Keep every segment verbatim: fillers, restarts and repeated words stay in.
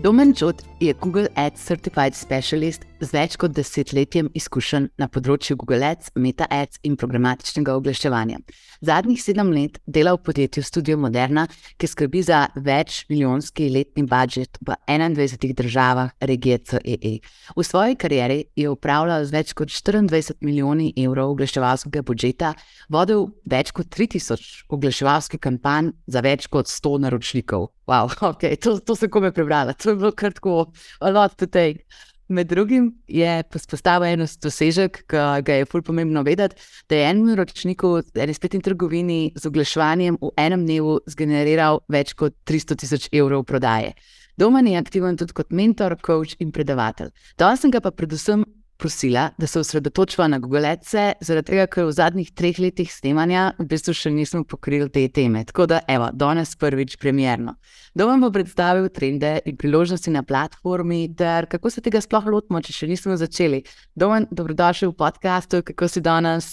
Domen Čot je Google Ads Certified Specialist z več kot desetletjem izkušenj na področju Google Ads, Meta Ads in programatičnega oglaševanja. Zadnjih sedem let dela v podjetju Studio Moderna, ki skrbi za več milijonski letni budžet v enaindvajsetih državah regije C E E. V svoji karieri je upravljal z več kot štiriindvajset milijoni evrov oglaševalskega budžeta, vodil več kot tri tisoč oglaševalskih kampanj za več kot sto naročnikov. Wow, ok, to, to sem kome prebrala, to je bilo kratko, a lot to take. Med drugim je postavil eno dosežek, ki ga je ful pomembno vedeti, da je enemu naročniku v eni spletni trgovini z oglaševanjem v enem dnevu zgeneriral več kot tristo tisoč evrov prodaje. Domen je aktiven tudi kot mentor, coach in predavatelj. Danes sem ga pa predvsem prosila, da se osredotočiva na Google Adse, zaradi tega, ker v zadnjih treh letih snemanja v bistvu še nismo pokrili te teme. Tako da, evo, danes prvič premierno. Domen bo predstavil trende in priložnosti na platformi, ter kako se tega sploh lotimo, če še nismo začeli. Domen, dobrodošel v podcastu, kako si danes?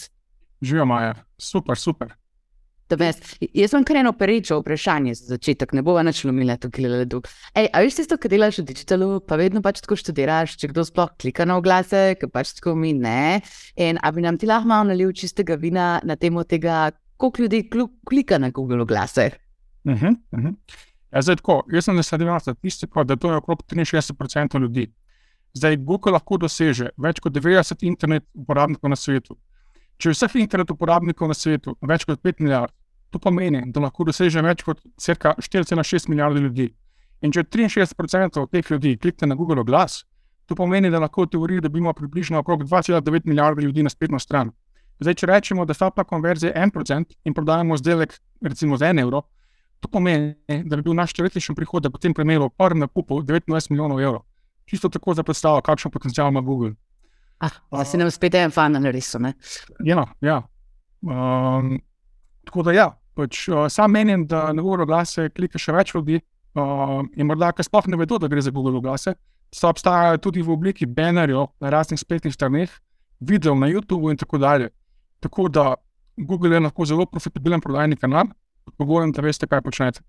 Živijo, Maja. Super, super. Jaz sem kar eno perečo vprašanje za začetek, ne bova nič lomila tukaj ledu. Ej, a veš tisto, kad delaš v digitalu, pa vedno pač tako študiraš, če kdo sploh klika na oglase, ker pač tako mi ne. In a bi nam ti lahko malo nalil čistega vina na temo tega, koliko ljudi klika na Google oglase? Uh-huh, uh-huh. Ja, zdaj tako, jaz sem nasledil statistiko, da to je okrog triinšestdeset procentov ljudi. Zdaj, Google lahko doseže več kot devetdeset internet uporabnikov na svetu. Če je vseh internet uporabnikov na svetu več kot pet milijard, to pomeni, da lahko doseže več kot cirka štiri cela šest milijarde ljudi. In če triinšestdeset procentov teh ljudi klikne na Google oglas, to pomeni, da lahko v teoriji dobimo približno okrog dva cela devet milijarde ljudi na spletno stran. Zdaj, če rečemo, da sta pa konverzija en procent in prodajamo izdelek recimo za en evro, to pomeni, da bi bil naš teoretični prihodek v tem primeru v prvem nakupu devetnajst milijonov evrov. Čisto tako za predstavo, kakšen potencial ima Google. Ah, da si nam spet en fan narisal, ne? Ja, ja. Um, tako da ja, pač uh, sam menim, da na Google oglase klika še več ljudi uh, in morda, ker sploh ne vedo, da gre za Google oglase, so obstajajo tudi v obliki banerjev na raznih spletnih straneh, videov na YouTube in tako dalje. Tako da Google je lahko zelo profitabilen prodajni kanal, pogovorem, da veste, kaj počnete.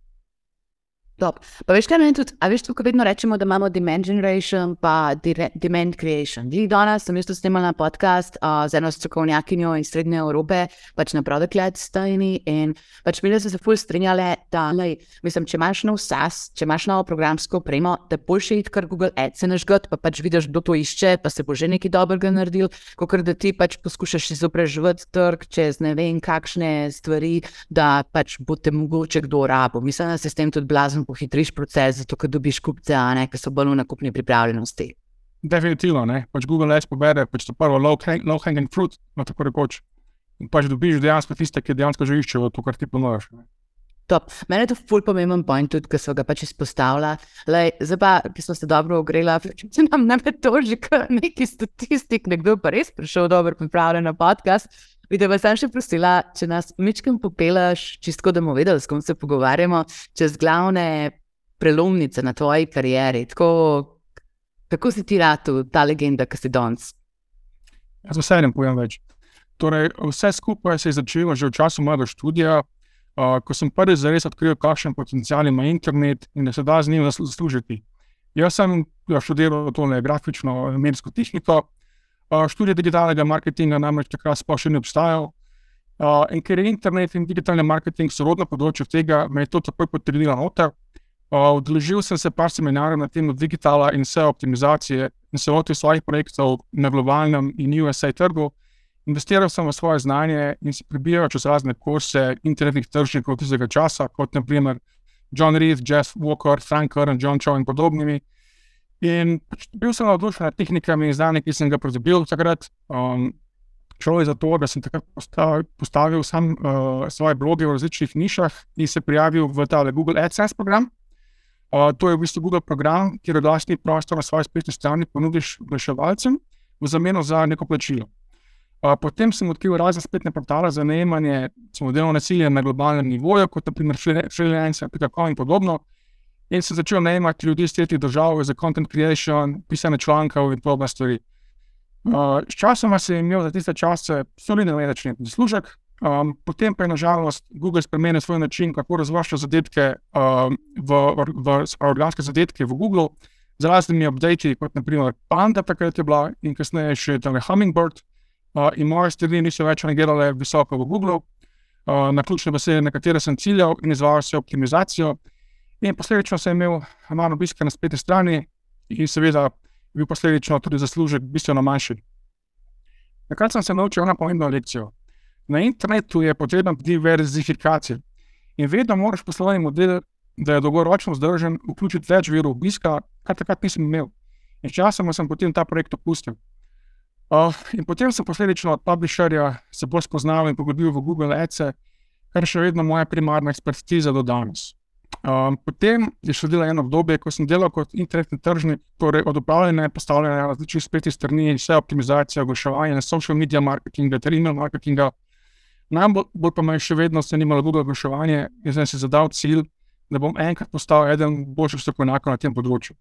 Top. Pa veš kaj meni tudi, a veš tukaj vedno rečemo, da imamo demand generation pa dire, demand creation. Dili danes sem jaz to snemala podcast uh, z eno strokovnjakinjo iz Srednje Evrope, pač na Product Led stajni in pač mi so se ful strinjale, da lej, mislim, če imaš nov SaaS, če imaš novo programsko opremo, da boljše iti kar Google Ads nažgat, pa pač vidiš, kdo to išče, pa se bo že nekaj dobrega naredil, kakor da ti pač poskušaš izobraževati trg čez ne vem kakšne stvari, da pač bo te mogoče kdo rabo. Mislim, da se s tem tudi blazno pohitriš proces, zato ker dobiš kupce, a ne, ki so bolj v nakupni pripravljenosti. Definitivno, ne. Pač Google Ads pobere pač to prvo low, hang, low hanging fruit, no tako rekoč. In pač dobiš dejansko tiste, ki dejansko že iščejo to, kar ti ponujaš. Top. Mene je to ful pomemben point tudi, ki so ga pač izpostavila. Lej, zdaj pa, ki smo se dobro ogrela, če nam ne me toži neki statistik, nekdo pa res prišel dobro pripravljen na podcast. Vidite, pa sem še prosila, če nas mičkem popelaš, čisto da bomo vedeli, s kom se pogovarjamo, čez glavne prelomnice na tvoji karieri. Tako, kako si ti ratu ta legenda, ki si danes? Jaz z veseljem povem več. Torej, vse skupaj se je začelo že v času mojega študija, uh, ko sem prvi zares odkril, kakšen potencial ima internet in da se da z njim zaslužiti. Jaz sem študiral tole grafično medijsko tehniko, Uh, študij digitalnega marketinga namreč takrat sploh še ne obstajal. Uh, in ker je internet in digitalni marketing sorodno področje tega, me je to takoj potrdila noter. Uh, udeležil sem se par seminarjev na temo digitala in S E O optimizacije in se lotil svojih projektov na globalnem in U S A trgu. Investiral sem v svoje znanje in se prebijal čez razne kurse internetnih tržnikov tistega časa, kot na primer John Reed, Jeff Walker, Frank Kern, John Chow in podobnimi. In bil sem navdušen nad tehnikami in znanjem, ki sem ga pridobil takrat. Um, šlo je za to, da sem takrat postavil, postavil sam uh, svoje bloge v različnih nišah in se prijavil v tale Google AdSense program. Uh, to je v bistvu Google program, kjer oglasni prostor na svoji spletni strani ponudiš oglaševalcem v zameno za neko plačilo. Uh, potem sem odkril razne spletne portale za najemanje delovne sile na globalnem nivoju, kot na primer freelancer pika com in podobno. In sem začel najemati ljudi iz tretjih držav za content creation, pisanje člankov in podobne stvari. Uh, s časoma sem imel za tiste čase solidno mesečni zaslužek, Um, potem pa je nažalost Google spremenil svoj način, kako razvršča zadetke um, v, v, v organske zadetke v Google, z raznimi updati, kot naprimer Panda, takrat je bila, in kasneje še tale Hummingbird, uh, in moje stvari niso več rangirale visoko v Google, uh, na ključne besede, na katere sem ciljal in izvajal se optimizacijo, in posledično sem imel manj obiska na spletni strani in seveda bil posledično tudi zaslužek bistveno manjši. Takrat sem se naučil eno pomembno lekcijo. Na internetu je potrebna diverzifikacija in vedno moraš poslovni model, da je dolgoročno vzdržen, vključiti več virov obiska, kar takrat nisem imel. In časoma sem potem ta projekt opustil. Uh, in potem sem posledično od publisherja se bolj spoznal in poglobil v Google Ads, kar je še vedno moja primarna ekspertiza do danes. Um, potem je sledilo eno obdobje, ko sem delal kot internetni tržnik, torej od upravljanja in postavljanja različnih spletnih strani, vse optimizacija, oglaševanje, social media marketinga ter email marketinga. Najbolj pa me je še vedno zanimalo Google oglaševanje in sem si zadal cilj, da bom enkrat postal eden boljših strokovnjakov na tem področju.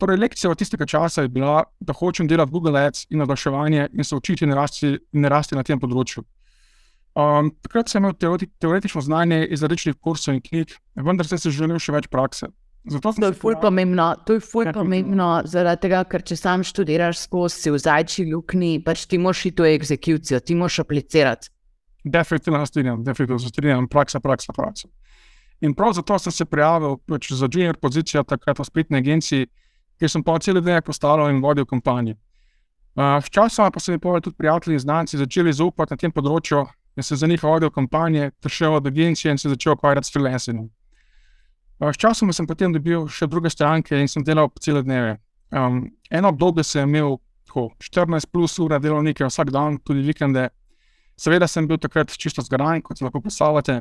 Torej, lekcija od tistega časa je bila, da hočem delati Google Ads in oglaševanje in se učiti in rasti, in rasti na tem področju. Um, takrat sem imel teoreti, teoretično znanje iz različnih kursov in knjig, vendar sem si želel še več prakse. Zato to je ful pomembno, to je ful pomembno, zaradi tega, ker če sam študiraš skozi, si v zajčji luknji, pač ti moraš iti v ekzekucijo, ti moraš aplicirati. Definitivno se strinjam, definitivno se strinjam, praksa, praksa, praksa. In prav zato sem se prijavil pač za junior pozicijo takrat v spletni agenciji, kjer sem pa cel dan postavljal in vodil kampanje. Uh, Sčasoma pa so mi tudi prijatelji in znanci začeli zaupati na tem področju in se za njih vodil kampanje, ter šel od agencije in se začel ukvarjati s freelancingom. Uh, Sčasoma sem potem dobil še druge stranke in sem delal po cele dneve. Um, eno obdobje sem imel tako, štirinajst plus ure delovnike vsak dan, tudi vikende. Seveda sem bil takrat čisto zgaran, kot se lahko predstavljate.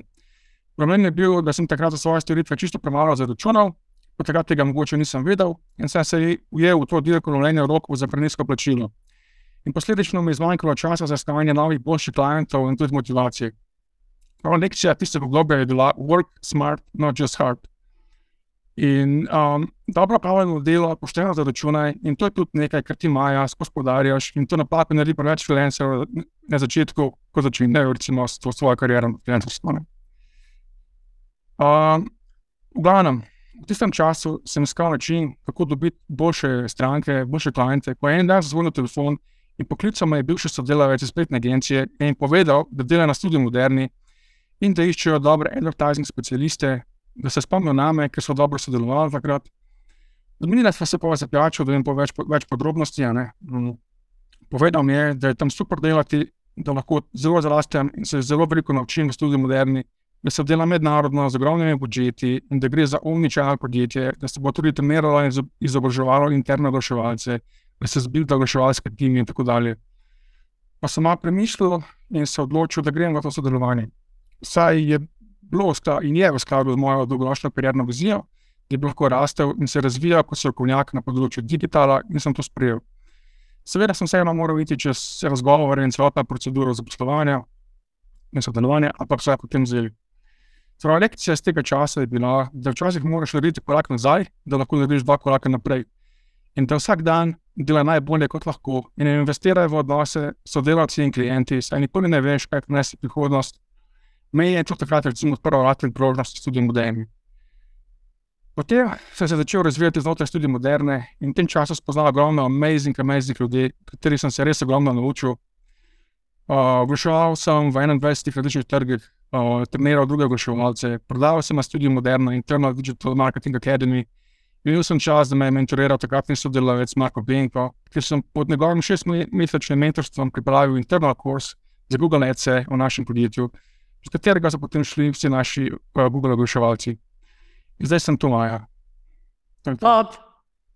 Problem je bil, da sem takrat za svoje storitve čisto premalo zaračunal, po takrat tega mogoče nisem vedel in sem se ujel v to direktno lovljenje rokov za prenizko plačilo. In posledično mi je zmanjkalo časa za iskanje novih boljših klientov in tudi motivacije. Prva lekcija tistega obdobja je bila work smart, not just hard. In um, dobro opravljeno delo, pošteno zaračunaj in to je tudi nekaj, kar ti maja, skozi podarjaš in to napako naredi preveč freelancerov na začetku, ko začnejo recimo s svojo kariero na freelancerstvu. Um, v glavnem, v tistem času sem iskal način, kako dobiti boljše stranke, boljše kliente, ko je en dan zazvonil telefon in poklical me je bivši sodelavec iz spletne agencije in povedal, da dela na Studiu Moderni in da iščejo dobre advertising specialiste, da se spomnijo name, ker so dobro sodelovali takrat. Dominila sva se pa zapijačil, da jim po več, več podrobnosti. Ne? Povedal mi je, da je tam super delati, da lahko zelo zarastem in se zelo veliko naučim v Studiu Moderni, da se dela mednarodno z ogromnimi budžeti in da gre za omnichannel podjetje, da se bo tudi treniralo in izobraževalo interne oglaševalce, da se zbuilda oglaševalske timi in tako dalje. Pa sem malo premišljal in se odločil, da grem v to sodelovanje. Saj je bilo in je v skladu z mojo dolgoročno karierno vizijo, da bi lahko rastel in se razvijal kot strokovnjak na področju digitala in sem to sprejel. Seveda sem vseeno moral iti čez razgovore in celotno proceduro zaposlovanja in sodelovanja, ampak vse potem vzeli. Torej, lekcija z tega časa je bila, da včasih moraš narediti korak nazaj, da lahko narediš dva koraka naprej. In da vsak dan dela najbolje kot lahko in investiraj v odnose s sodelavci in klienti, saj nikoli ne veš, kaj prinese prihodnost. Me je to takrat recimo odprl vrata in priložnosti Studiu Moderni. Potem sem se začel razvijati znotraj Studia Moderne in v tem času spoznal ogromno amazing, amazing ljudi, kateri sem se res ogromno naučil. Uh, oglaševal sem v enaindvajsetih različnih trgih, uh, treniral druge oglaševalce, prodal sem na Studiu Moderno Internal Digital Marketing Academy. Imel sem čas, da me je mentoriral takratni sodelavec Marko Benko, ker sem pod njegovim šestmesečnim mentorstvom pripravil internal course za Google Ads v našem podjetju, z katerega so potem šli vsi naši uh, Google oglaševalci. In zdaj sem tu maja. Top,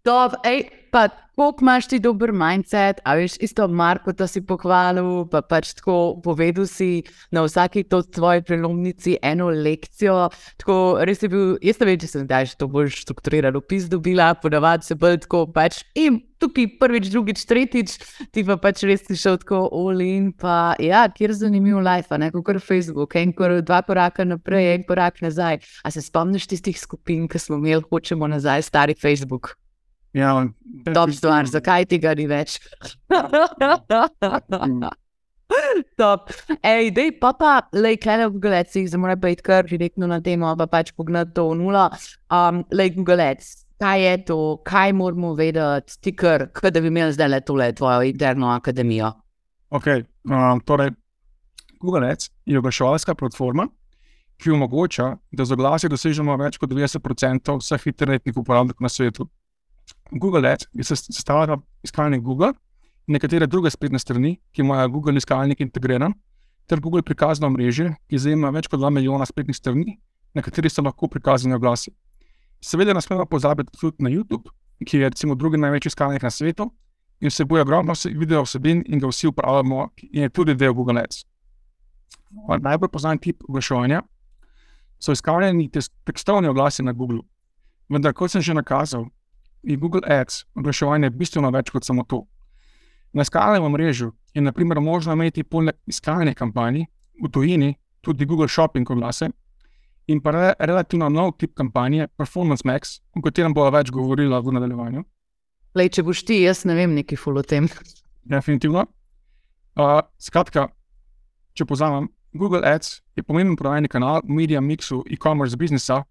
top, ej, pa koliko imaš ti dober mindset, a veš, isto Marko, da si pohvalil, pa pač tako povedal si na vsaki to tvoji prelomnici eno lekcijo, tako res je bil, jaz ne vem, če sem daj to bolj strukturiran opis dobila, ponavadi se bolj tako pač in tukaj prvič, drugič, tretjič, ti pa pač res si šel tako all in, pa ja, kjer zanimiv life, a ne, kakor Facebook, en kor, dva koraka naprej, en korak nazaj. A se spomniš tistih skupin, ki smo imeli, hočemo nazaj, stari Facebook? Ja, top stvar, zakaj tega ni več? Top. Ej, dej, pa pa, lej, kaj v Google Adsih, zdaj mora pa iti kar direktno na temo, pa pač pogledati to v nula. Um, lej, Google Ads, kaj je to, kaj moramo vedeti, ti kar, kaj da bi imeli zdaj le tole tvojo interno akademijo? Ok, um, torej, Google Ads je oglaševalska platforma, ki omogoča, da z oglasi dosežemo več kot devetdeset procentov vseh internetnih uporabnikov na svetu. Google Ads je sestavljena iskalnik Google, nekatere druge spletne strani, ki imajo Google iskalnik integriran, ter Google prikazno omrežje, ki zajema več kot dva milijona spletnih strani, na kateri so lahko prikazani oglasi. Seveda ne smemo pozabiti tudi na YouTube, ki je recimo drugi največji iskalnik na svetu in vsebuje ogromno video vsebin in ga vsi uporabljamo in je tudi del Google Ads. Najbolj poznan tip oglaševanja so iskalni tekstovni oglasi na Google. Vendar, kot sem že nakazal, je Google Ads oglaševanje bistveno več kot samo to. Na iskalnem omrežju je na primer možno imeti poleg iskalnih kampanj v tujini tudi Google Shopping oglase in pa re, relativno nov tip kampanje Performance Max, o katerem bova več govorila v nadaljevanju. Lej, če boš ti, jaz ne vem nekaj ful o tem. Definitivno. Uh, skratka, če povzamem, Google Ads je pomemben prodajni kanal v media mixu e-commerce biznisa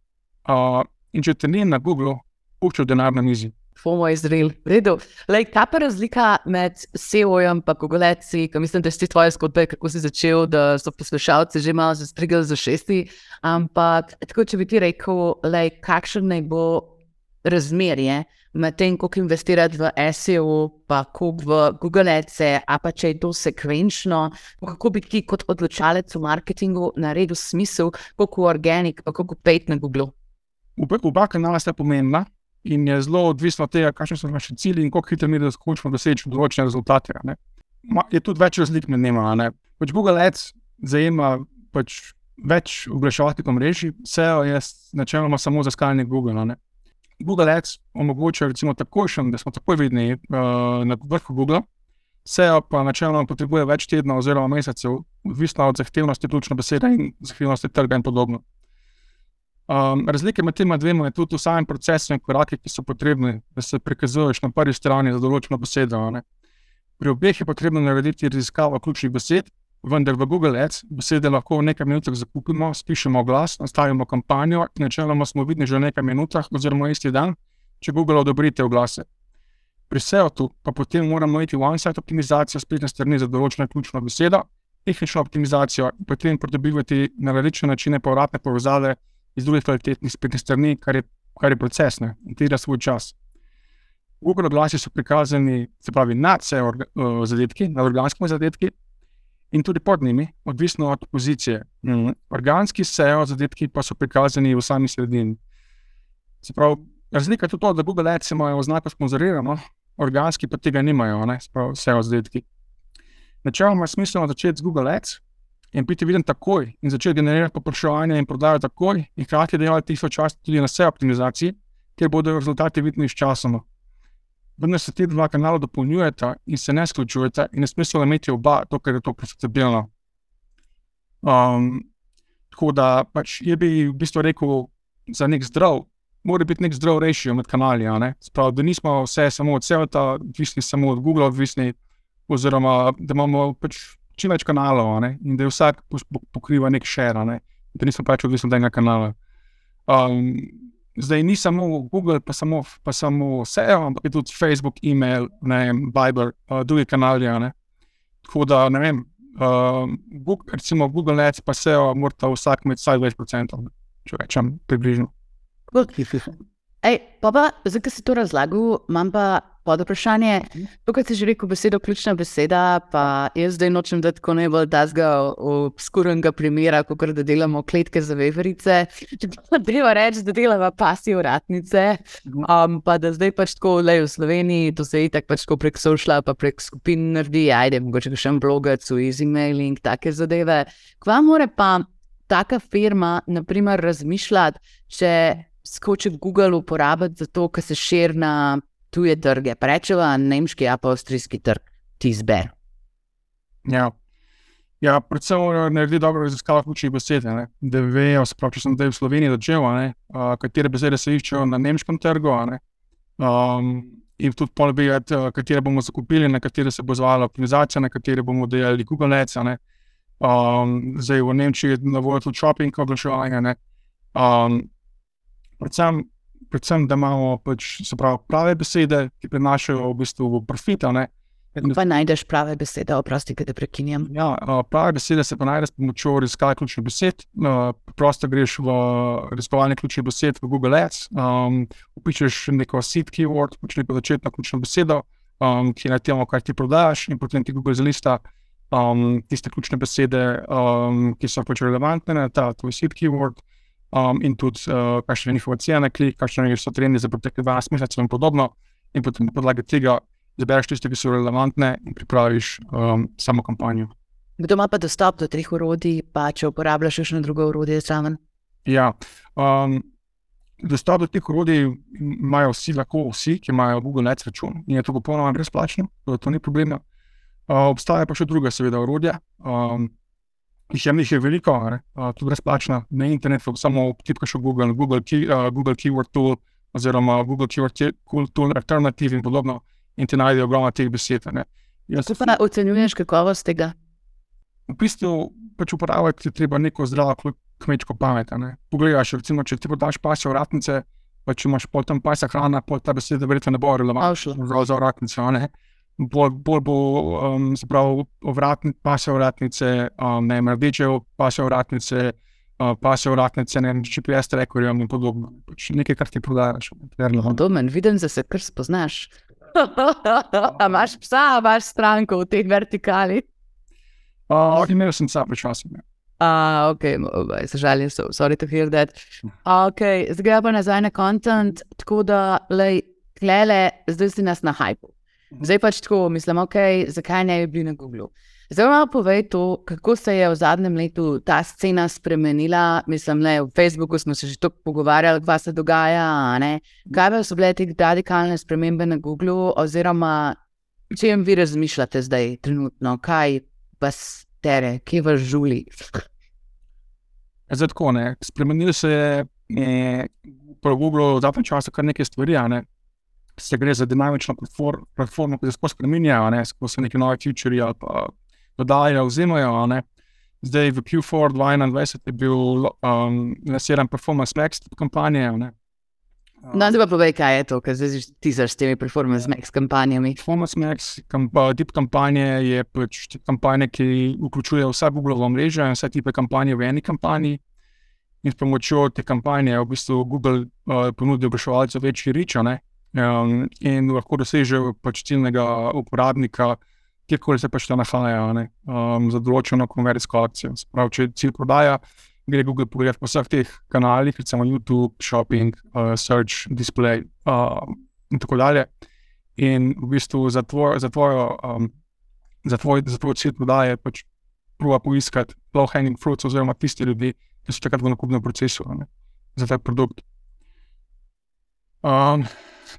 uh, in če te ni na Google, puščal denar na mizi. FOMO Izrael, v redu. Lej, kaj pa razlika med S E O-jem pa Google Adsi, ko mislim, da si tvoje zgodbe, kako si začel, da so poslušalci že malo zastrigali za šesti, ampak tako, če bi ti rekel, lej, kakšen naj bo razmerje med tem, koliko investirati v S E O, pa koliko v Google Adse, a pa če je to sekvenčno, kako bi ti kot odločalec v marketingu naredil smisel, koliko organic, pa koliko paid na Google? Oba kanala sta pomembna in je zelo odvisno od tega, kakšni so naši cilji in koliko hitro mi da skočimo doseči določene rezultate. Ne. Je tudi več razlik med njima. Ne. Pač Google Ads zajema pač več oglaševalskih omrežij, S E O je načeloma samo za iskalnik Google. Ne. Google Ads omogoča recimo takojšen, da smo takoj vidni uh, na vrhu Google, S E O pa načeloma potrebuje več tednov oziroma mesecev, odvisno od zahtevnosti ključne besede in zahtevnosti trga in podobno. Um, razlike med tema dvema je tudi v samem procesu in korake, ki so potrebni, da se prikazuješ na prvi strani za določeno besedo. Ne. Pri obeh je potrebno narediti raziskavo ključnih besed, vendar v Google Ads besede lahko v nekaj minutah zakupimo, spišemo oglas, nastavimo kampanjo in načeloma smo vidni že v nekaj minutah oziroma isti dan, če Google odobri te oglase. Pri S E O-tu pa potem moramo imeti one-site optimizacijo spletne strani za določeno ključno besedo, tehnično optimizacijo in potem pridobivati na različne načine povratne povezave iz drugih kvalitetnih spletnih strani, kar je, kar je proces, ne, in terja svoj čas. Google oglasi so prikazani, se pravi, nad S E O uh, zadetki, nad organskimi zadetki in tudi pod njimi, odvisno od pozicije. Mm. Organski S E O zadetki pa so prikazani v sami sredini. Se pravi, razlika je tudi to, da Google Ads imajo oznako sponzorirano, organski pa tega nimajo, ne, se pravi, S E O zadetki. Načeloma je smiselno začeti z Google Ads in biti viden takoj in začeti generirati popraševanje in prodajo takoj in hkrati delati tisto čas tudi na S E O optimizaciji, kjer bodo rezultati vidni s časoma. Vendar se ti dva kanala dopolnjujeta in se ne izključujeta in je smiselno imeti oba, to, ker je to profitabilno. Um, tako da pač je bi v bistvu rekel za nek zdrav, mora biti nek zdrav ratio med kanali, ne? Sprav, da nismo vse samo od S E O-ta, odvisni samo od Google, odvisni, oziroma da imamo pač čim več kanalov, ne? In da je vsak pokriva nek share, ne? Da nismo pač odvisni od enega kanala. Um, zdaj ni samo Google, pa samo, pa samo S E O, ampak je tudi Facebook, e-mail, ne vem, Viber, uh, drugi kanali, ne? Tako da, ne vem, uh, Google, recimo Google Ads pa S E O morata vsak imeti vsaj več procentov, ne? Če rečem približno. Ej, pa pa, zdaj, ko si to razlagal, imam pa pod vprašanje. Tukaj si že rekel besedo, ključna beseda, pa jaz zdaj nočem dati tako najbolj tazga obskurnega primera, kakor da delamo kletke za veverice. Treba reči, da delamo pasji uratnice, um, pa da zdaj pač tako lej v Sloveniji, to se itak pač tako prek sociala, pa prek skupin naredi, ajde, mogoče še en blogec, easy mailing, take zadeve. Kva more pa taka firma, na primer, razmišljati, če skoči Google uporabiti za to, ker se širi na tuje trge. Pa rečeva nemški, a pa avstrijski trg, ti izber. Ja, ja predvsem naredi dobro raziskavo ključnih besed, ne? Da vejo, sprav, če sem zdaj v Sloveniji začel, ne? Uh, katere besede se iščejo na nemškem trgu, ne? Um, in tudi pol vedeti, katere bomo zakupili, na katere se bo izvajala optimizacija, na katere bomo delali Google Ads. Um, zdaj v Nemčiji je na voljo tudi shopping oglaševanje. Um, predvsem, predvsem, da imamo pač, se pravi, prave besede, ki prinašajo v bistvu profit. Pa najdeš prave besede, oprosti, da te prekinjam. Ja, prave besede se pa najde s pomočjo raziskave ključnih besed. Prosto greš v raziskovanje ključnih besed v Google Ads, um, upišeš neko seed keyword, pač neko začetno ključno besedo, um, ki je na temo, kar ti prodajaš, in potem ti Google zalista um, tiste ključne besede, um, ki so pač relevantne na ta tvoj seed keyword, um, in tudi uh, kakšne njihove cene, klik, kakšne so trendi za pretekle dvanajst mesecev in podobno, in potem na podlagi tega zabereš tiste, ki so relevantne, in pripraviš um, samo kampanjo. Kdo ima pa dostop do treh orodij, pa če uporabljaš še na drugo orodje zraven? Ja, um, dostop do teh orodij imajo vsi, lahko vsi, ki imajo Google Ads račun, in je to popolnoma brezplačno, to ni problema. Uh, obstaja pa še druga seveda orodja, um, jih je, jih je veliko, uh, tudi brezplačna na internetu, samo tipkaš v Google, Google, key, uh, Google Keyword Tool, oziroma Google Keyword Tool Alternative in podobno, in ti najdejo ogromno teh besed. Kako pa ocenjuješ kakovost tega? V bistvu pač uporabljati je treba neko zdravo kmečko pamet. Pogledaš, recimo, če ti podaš pasje ovratnice, pa če imaš pol tam pasja hrana, pol ta beseda verjetno ne bo relevantna za ovratnice. Bolj, bolj bo um, se pravi ovratni, pasje ovratnice, um, ne, rdeče pasje ovratnice, uh, pasje ovratnice, ne, G P S trackerjem in podobno. Pač nekaj, kar ti prodajaš. Domen, vidim, da se kar spoznaš. A imaš psa, a imaš stranko v teh vertikali? Uh, imel sem psa pred časom. Uh, ok, se žalim, so, sorry to hear that. Ok, zdaj pa nazaj na content, tako da, lej, klele, zdaj si nas na hypu. Zdaj pač tako, mislim, ok, zakaj ne bi bili na Googlu? Zdaj malo povej to, kako se je v zadnjem letu ta scena spremenila, mislim, le, v Facebooku smo se že tako pogovarjali, kaj se dogaja, ne? Kaj pa so bile te radikalne spremembe na Googlu, oziroma čem vi razmišljate zdaj trenutno, kaj vas tere, kje vas žuli? Zdaj tako, ne, spremenili se je po Googlu v zadnjem času kar nekaj stvari, ne? Se gre za dinamično platformo, ki se sploh spreminjajo, ne, sploh se neki novi featurji ali pa dodajajo, vzemajo, ne. Zdaj v Q štiri dva tisoč enaindvajset je bil um, lansiran Performance Max kampanje, ne. No, zdaj pa povej, kaj je to, ker zdaj tisaš s temi Performance Max kampanjami. Performance Max kamp, tip kampanje je pač kampanje, ki vključuje vsa Googleova mreža in vse tipe kampanje v eni kampanji, in s pomočjo te kampanje v bistvu Google uh, ponudi oglaševalcu večji reach, ne. Um, in lahko dosežejo pač ciljnega uporabnika, kjerkoli se pač ta nahaja, ne, um, za določeno konverzijsko akcijo. Sprav, če cilj prodaja, gre Google pogledati po vseh teh kanalih, recimo YouTube, shopping, uh, search, display uh, in tako dalje. In v bistvu za tvoj, za tvojo, um, za tvoj, za tvoj cilj prodaje pač proba poiskati low hanging fruits oziroma tisti ljudi, ki so takrat v nakupnem procesu, ne, za ta produkt. Um,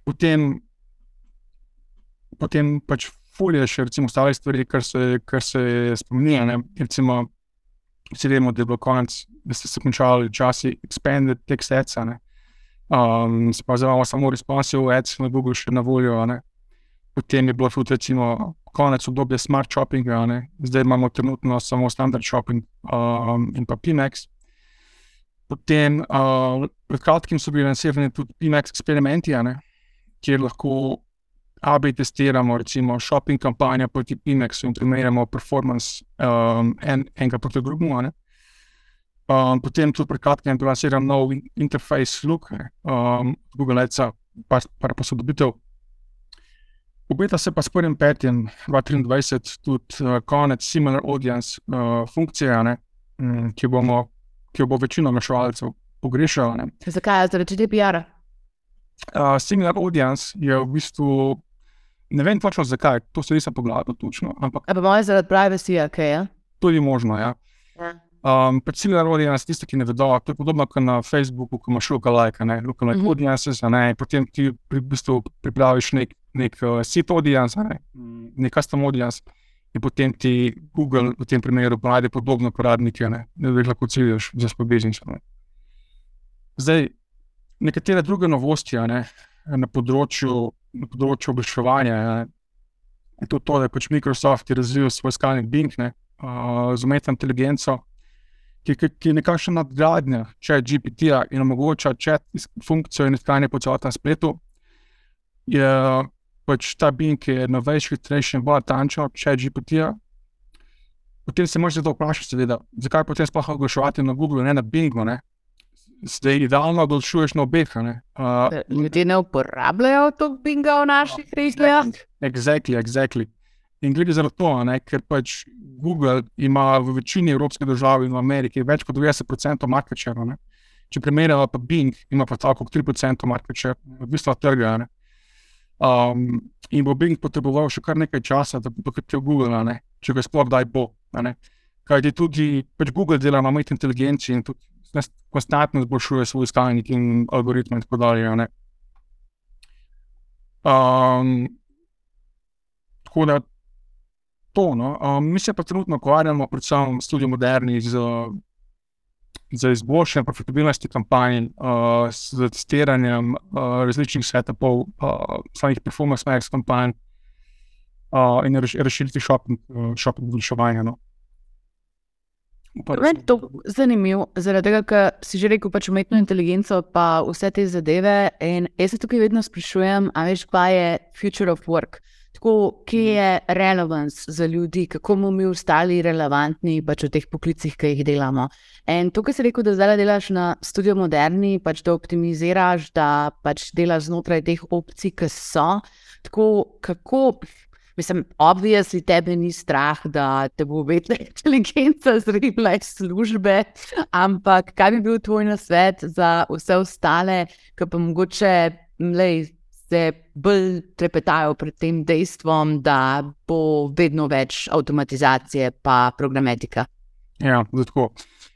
Potem, potem pač fulje še recimo ostale stvari, kar se, kar se spominja, ne. Recimo, vsi vemo, da je bilo konec, da ste se končali časi expanded text ads, ne. Um, se pa zdaj imamo samo responsive ads na Google še na voljo, ne. Potem je bilo tudi recimo konec obdobja smart shoppinga, ne. Zdaj imamo trenutno samo standard shopping um, in pa P MAX. Potem, uh, pred kratkim so bili lansirani tudi P MAX eksperimenti, ne, kjer lahko A B testiramo recimo shopping kampanja proti P MAXu in primerjamo performance um, en, enega proti drugemu, ne. Um, potem tudi pred kratkim je bil lansiran nov interface look, ne, um, Google Adsa, par, par posodobitev. Obeta se pa s prvim petim dva tisoč triindvajset tudi uh, konec similar audience uh, funkcije, ne, um, ki bomo ki jo bo večina oglaševalcev pogrešala, ne. Zakaj? Zaradi G D P R-a? Uh, similar audience je v bistvu, ne vem točno zakaj, to se nisem pogledal točno, ampak... A pa moje zaradi privacy-ja, kaj je? Tudi možno, ja. Um, pač similar audience, tiste, ki ne vedo, to je podobno kot na Facebooku, ko imaš lookalike, ne, lookalike mm-hmm. audiences, ne, potem ti pri bistvu pripraviš nek, nek uh, seed audience, ne, nek custom audience, in potem ti Google v tem primeru najde podobno uporabnike, ne, da jih lahko ciljaš za spobežnico, ne. Zdaj, nekatere druge novosti, ne, na področju na področju oglaševanja. Je to, to, da je pač Microsoft je razvil svoj iskalnik Bing, ne, uh, z umetno inteligenco, ki, ki, ki je nekakšna nadgradnja ChatGPT-ja in omogoča chat funkcijo in iskanje po celotnem spletu. Je pač ta Bing je novejši, hitrejši in bolj natančen od ChatGPT-ja. Potem se možeš zato vprašati, seveda, zakaj potem sploh oglaševati na Google, ne na Bingu, ne? Zdaj idealno oglašuješ na obeh, ne? Uh, Ljudje ne uporabljajo to Binga v naših regijah? Exactly, exactly. In gre za to, ne, ker pač Google ima v večini evropskih držav in v Ameriki več kot devetdeset procentov market share, ne. Če primerjamo pa Bing, ima pa tako tri procente market share, odvisno od trga, ne. Um, in bo Bing potreboval še kar nekaj časa, da bo dohitel Google, ne, če ga sploh kdaj bo, ne. Kajti tudi pač Google dela na umetni inteligenci in tudi konstantno izboljšuje svoj iskalnik in algoritme in tako dalje, ne. Um, tako da to, no. Um, mi se pa trenutno ukvarjamo predvsem v Studiu Moderni z, z izboljšanjem profitabilnosti kampanj, uh, z testiranjem uh, različnih setupov, uh, samih performance max kampanj uh, in razširiti shopping, uh, shopping oglaševanja, no. Meni je to zanimivo, zaradi tega, ker si že rekel pač umetno inteligenco pa vse te zadeve in jaz se tukaj vedno sprašujem, a veš, kaj je future of work. Tako, kje je relevance za ljudi, kako bomo mi ostali relevantni pač v teh poklicih, ki jih delamo. In to, kar si rekel, da zdaj delaš na Studiu Moderni, pač da optimiziraš, da pač delaš znotraj teh opcij, ki so, tako, kako... Mislim, obviously tebe ni strah, da te bo umetna inteligenca zribla iz službe, ampak kaj bi bil tvoj nasvet za vse ostale, ki pa mogoče lej, se bolj trepetajo pred tem dejstvom, da bo vedno več avtomatizacije pa programetika? Ja, zato.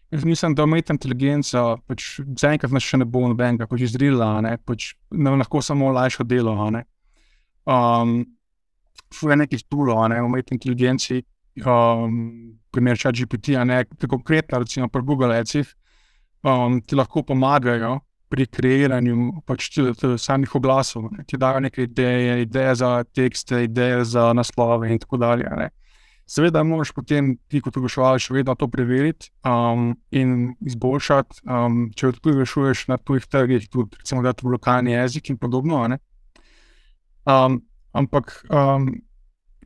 Jaz mislim, da umetna inteligenca pač zaenkrat nas še ne bo nobenega pač izrila, ne, pač nam lahko samo olajša delo, ne. Um, je nekih toolov, ne, umetni inteligenci, um, primer ChatGPT, ne, konkretno, recimo pri Google Adsih, um, ti lahko pomagajo pri kreiranju pač samih oglasov, ne, ti dajo neke ideje, ideje za tekste, ideje za naslove in tako dalje, ne. Seveda moraš potem ti kot oglaševalec še vedno to preveriti um, in izboljšati, um, če tudi oglašuješ na tujih trgih, tudi recimo dati v lokalni jezik in podobno, ne. Um, Ampak, um,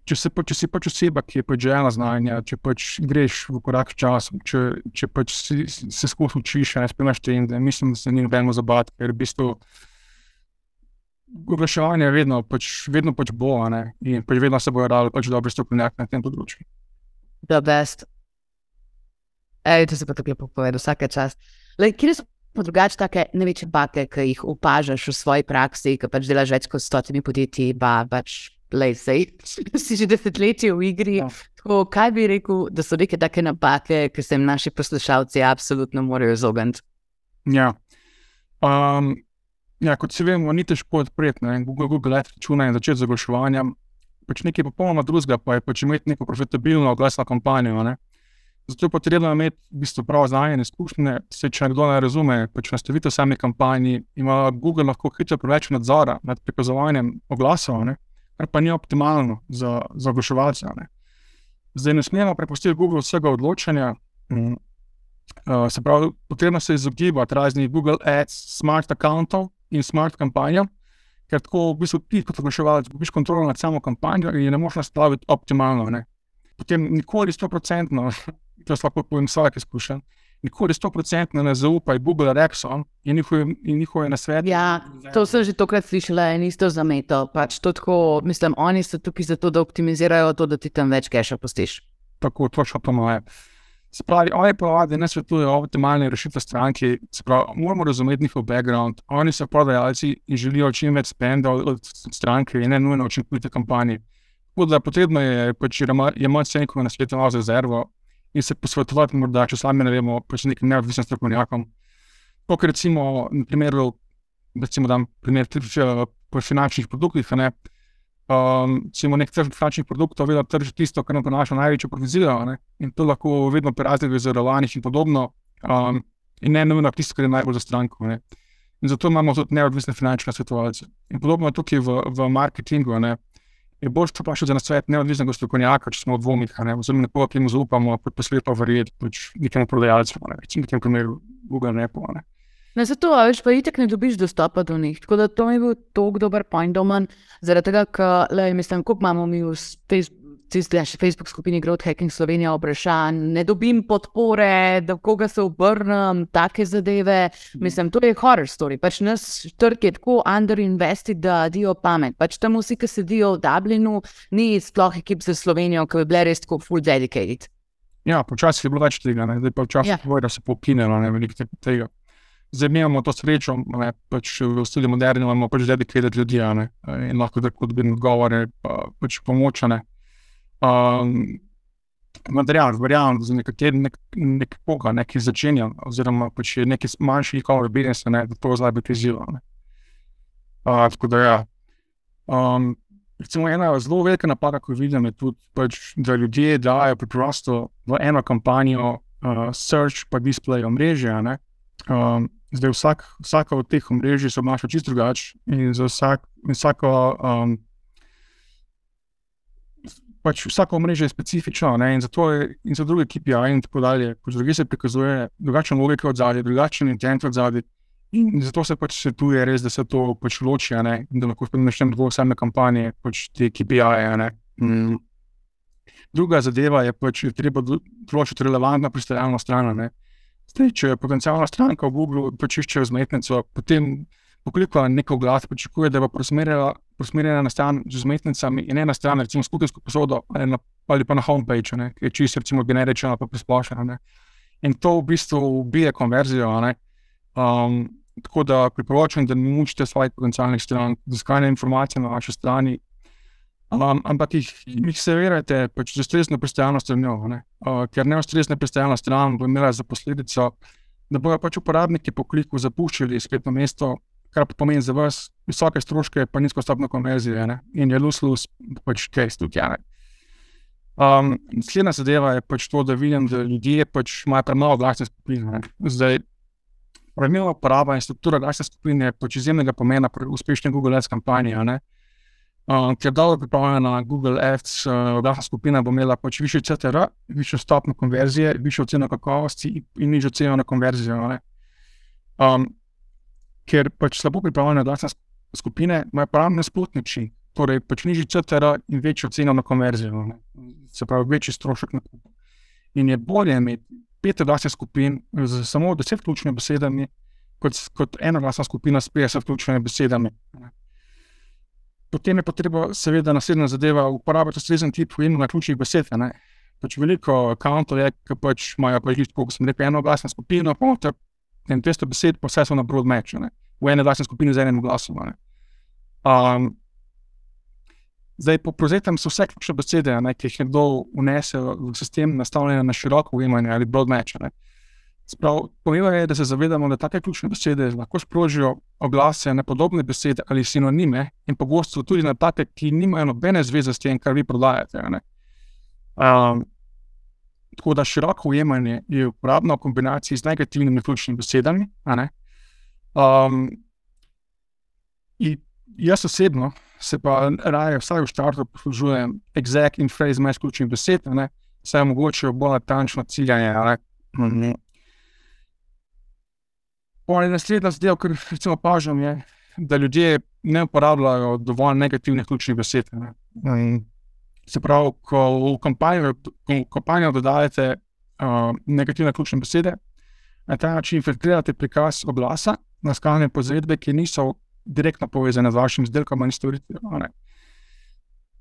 če, se pa, če si pač oseba, ki je pač željna znanja, če pač greš v korak s časom, če, če pač si, se skozi učiš, ne spremljaš trende, mislim, da se ni nobeno zabavati, ker v bistvu oglaševanje vedno pač, vedno pač bo, ne, in pač vedno se bojo dali pač dobri strokovnjaki na tem področju. The best. Ej, to se pa tako lepo povedal, vsaka čast. Lej, kje so pa drugače take največje bake, ki jih opažaš v svoji praksi, ki pač delaš več kot stotimi podjetji, pa pač, lej, sej, si že desetletje v igri. Ja. Tako, kaj bi rekel, da so neke take napake, ki se jim naši poslušalci absolutno morajo izogniti? Ja. Um, ja, kot si vemo, ni težko odpreti, ne, Google, Google Ads računa in začeti z oglaševanjem, pač nekaj popolnoma drugega, pa je pač imeti neko profitabilno oglasno kampanjo, ne. Zato je potrebno imeti v bistvu prav znanje in izkušnje, se če nekdo ne razume, pač nastavitev same kampanji, ima Google lahko hitro preveč nadzora nad prikazovanjem oglasov, ne, kar pa ni optimalno za, za oglaševalce, ne. Zdaj ne smemo prepustiti Google vsega odločanja, mm, uh, se pravi, potrebno se izogibati raznih Google Ads, smart accountov in smart kampanjam, ker tako v bistvu ti kot oglaševalec dobiš kontrolo nad samo kampanjo in je ne moš nastaviti optimalno, ne. Potem nikoli sto procentno, to je lahko povem vsak izkušen, nikoli sto procentno ne zaupaj Google Rexon in njihove, in njihove nasvete. Ja, to sem že tokrat slišala in isto zameto. Pač to tako, mislim, oni so tukaj zato, da optimizirajo to, da ti tam več keša pustiš. Tako, točno to moje. Se pravi, oni pravadi ne svetujejo optimalne rešitve stranki, se pravi, moramo razumeti njihov background, oni so prodajalci in želijo čim več spenda od stranke in ne nujno učinkovite kampanje. Tako da potrebno je pač jemati se nekaj na svetu malo za rezervo in se posvetovati morda, če sami ne vemo, pač nekim neodvisnim strokovnjakom. Tako recimo, na primeru, recimo dam primer po finančnih produktih, ne, um, recimo nek tržnik finančnih produktov vedno trži tisto, kar nam prinaša največjo provizijo, ne, in to lahko vedno pri raznih zavarovalnih in podobno, um, in ne nujno tisto, kar je najbolj za stranko, ne. In zato imamo tudi neodvisne finančne svetovalce. In podobno tukaj v, v marketingu, ne, je bolj to vprašati za nasvet neodvisnega strokovnjaka, če smo v dvomih, ne, oziroma nekoga, ki mu zaupamo, pa poslepa verjeti, pač nekemu prodajalcu, ne, recimo v tem primeru Google Nepo, ne. Na zato, a veš, pa itak ne dobiš dostopa do njih, tako da to mi je bil toliko dober point domen, zaradi tega, ker, lej, mislim, koliko imamo mi v Facebook, Facebook skupini Growth Hacking Slovenija vprašanj, ne dobim podpore, da koga se obrnem, take zadeve, mislim, to je horror story, pač nas trg je tako underinvested, da dijo pamet, pač tam vsi, ki sedijo v Dublinu, ni sploh ekip za Slovenijo, ki bi bile res tako full dedicated. Ja, počasih je bilo več tega, ne, zdaj pa včasih ja. Povej, da se pokinelo, ne, veliko tega. Zdaj imamo to srečo, ne, pač v studi moderni imamo pač dedicated ljudi, ne, in lahko tako dobim odgovore, pa, pač pomoč, ne. Um, material, verjamem, za nekateri nek, nekoga, nekaj začenja, oziroma pač je nekaj manjši e-commerce business, ne, da to zna biti izziv, ne. Uh, tako da ja. Um, recimo ena zelo velika napaka, ko vidim, je tudi pač, da ljudje dajo preprosto v eno kampanjo uh, search pa display omrežja, ne. Um, zdaj vsak, vsaka od teh omrežij se obnaša čisto drugače in za vsak, vsako um, pač vsako omrežje je specifično, ne, in zato je, in za druge K P I in tako dalje, pač druge se prikazuje drugačna logika od zadaj, drugačen intent od zadaj, in zato se pač svetuje res, da se to pač loči, ne, in da lahko načnem dvo same kampanje, pač te K P I-je, ne. Mm. Druga zadeva je pač, je treba določiti relevantno pristajalno stran, ne. Zdaj, če je potencialna stranka v Google pač išče vzmetnico, potem pokoliko neko oglas pričakuje, da bo prosmerjena, prosmerjena na stran z vzmetnicami in ne na stran, recimo s kuhinjsko posodo ali, na, ali pa na homepage, ne, ki je čisto recimo generična pa prisplošena, ne. In to v bistvu ubije konverzijo, ne. Um, tako da priporočam, da ne mučite svojih potencialnih stran, da iskanje informacije na vaši strani, um, ampak jih, jih servirajte pač z ustrezno pristajalno stranjo, ne. Uh, ker neustrezna pristajalna stran bo imela za posledico, da bojo pač uporabniki po kliku zapuščali spletno mesto, kar pa pomeni za vas visoke stroške pa nizko stopnjo konverzije, ne, in je lose-lose pač case tukaj, ne. Um, slednja zadeva je pač to, da vidim, da ljudje pač imajo premalo glasne skupine, ne. Zdaj, pravilna uporaba in struktura glasne skupine je pač izjemnega pomena pri uspešni Google Ads kampanji, ne. Um, ker dobro pripravljena Google Ads uh, glasna skupina bo imela pač višji C T R, višjo stopnjo konverzije, višjo oceno kakovosti in, in nižjo ceno na konverzijo, ne. Um, ker pač slabo pripravljene glasne skupine imajo prav nasprotni način, torej pač nižji C T R in večjo ceno na konverzijo, ne. Se pravi, večji strošek na kup. In je bolje imeti pet glasnih skupin z samo deset ključnimi besedami, kot, kot ena glasna skupina s petdeset ključnimi besedami, ne. Potem je potreba seveda naslednja zadeva uporabiti ustrezen tip na ključnih besed, ne. Pač veliko accountov je, ki pač imajo pač listo, ko sem rekel, eno glasno skupino, pa in dvesto besed, pa vse so na broad match, ne, v ene glasne skupine z enim glasom, ne. Um, zdaj, po prevzetem so vse ključne besede, ne, ki jih nekdo vnese v sistem nastavljene na široko ujemanje ali broad match, ne. Sprav, pomembno je, da se zavedamo, da take ključne besede lahko sprožijo oglase na podobne besede ali sinonime in pogosto tudi na take, ki nimajo nobene zveze s tem, kar vi prodajate, ne. Um, Tako da široko ujemanje je uporabno v kombinaciji z negativnimi ključnimi besedami, a ne. Um, in jaz osebno se pa raje vsaj v štartu poslužujem exact in phrase match ključnih besed, a ne, saj omogočajo bolj natančno ciljanje, a ne. Mm-hmm. Potem naslednja zadeva, kar recimo opažam, je, da ljudje ne uporabljajo dovolj negativnih ključnih besed, a ne. Mm-hmm. Se pravi, ko v kampanjo, v kampanjo dodajate uh, negativne ključne besede, na ta način filtrirate prikaz oglasa na skalne pozvedbe, ki niso direktno povezane z vašim izdelkom ali storitvijo.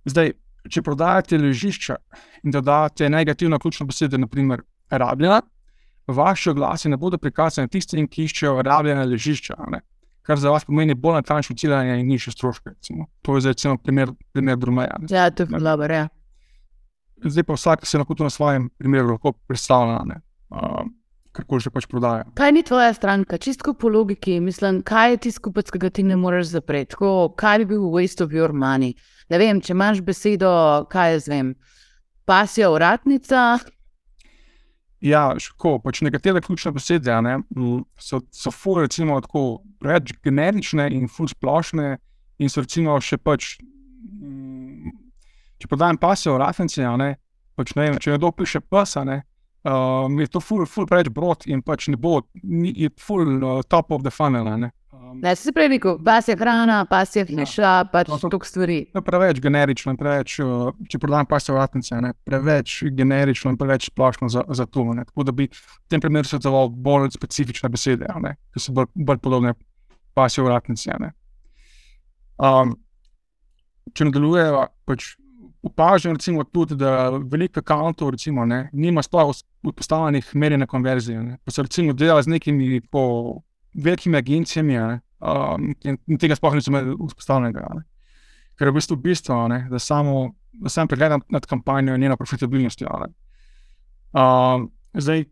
Zdaj, če prodajate ležišča in dodate negativno ključno besede, na primer rabljena, vaši oglasi ne bodo prikazani tistim, ki iščejo rabljena ležišča, ne? Kar za vas pomeni bolj natančno ciljanje in nižje stroške, recimo. To je zdaj recimo primer, primer Drumeja. Ja, to je dobro, ja. Zdaj pa vsak se lahko to na svojem primeru lahko predstavlja, ne, uh, karkoli že pač prodaja. Kaj ni tvoja stranka? Čistko po logiki, mislim, kaj je tisti kupec, ki ga ti ne moreš zapreti? Tako, kaj bi bil waste of your money? Ne vem, če imaš besedo, kaj jaz vem, pasja, vratnica? Ja, ško, pač nekatere ključne besede ne, so, so ful recimo tako preveč generične in ful splošne in so recimo še pač, če podajam pasijo reference, ne, pač ne vem, če nekdo piše pasa, ne, um, je to ful, ful preveč brod in pač ne bo, ni, je ful uh, top of the funnel, ne. Um, Ne, si se prej rekel, pas je hrana, pas je hiša, pač No, to- toliko stvari. To je preveč generično, preveč, uh, če prodajam pasijo reference, ne, preveč generično in preveč splošno za, za to, ne. Tako da bi v tem primeru svetoval bolj specifične besede, ne, ki so bolj, bolj podobne pasijo reference, ne. Um, če nadaljujejo, pač opažam recimo tudi, da veliko akauntov recimo, ne, nima sploh postavljenih merjenja konverzije, ne. Pa so recimo delali z nekimi po velikimi agencijami, ne, um, in, in tega sploh niso imeli vzpostavljenega, ne. Ker je v bistvu bistvo, ne, da samo, da sam pregledam nad kampanjo in njeno profitabilnostjo, ne. Um, zdaj,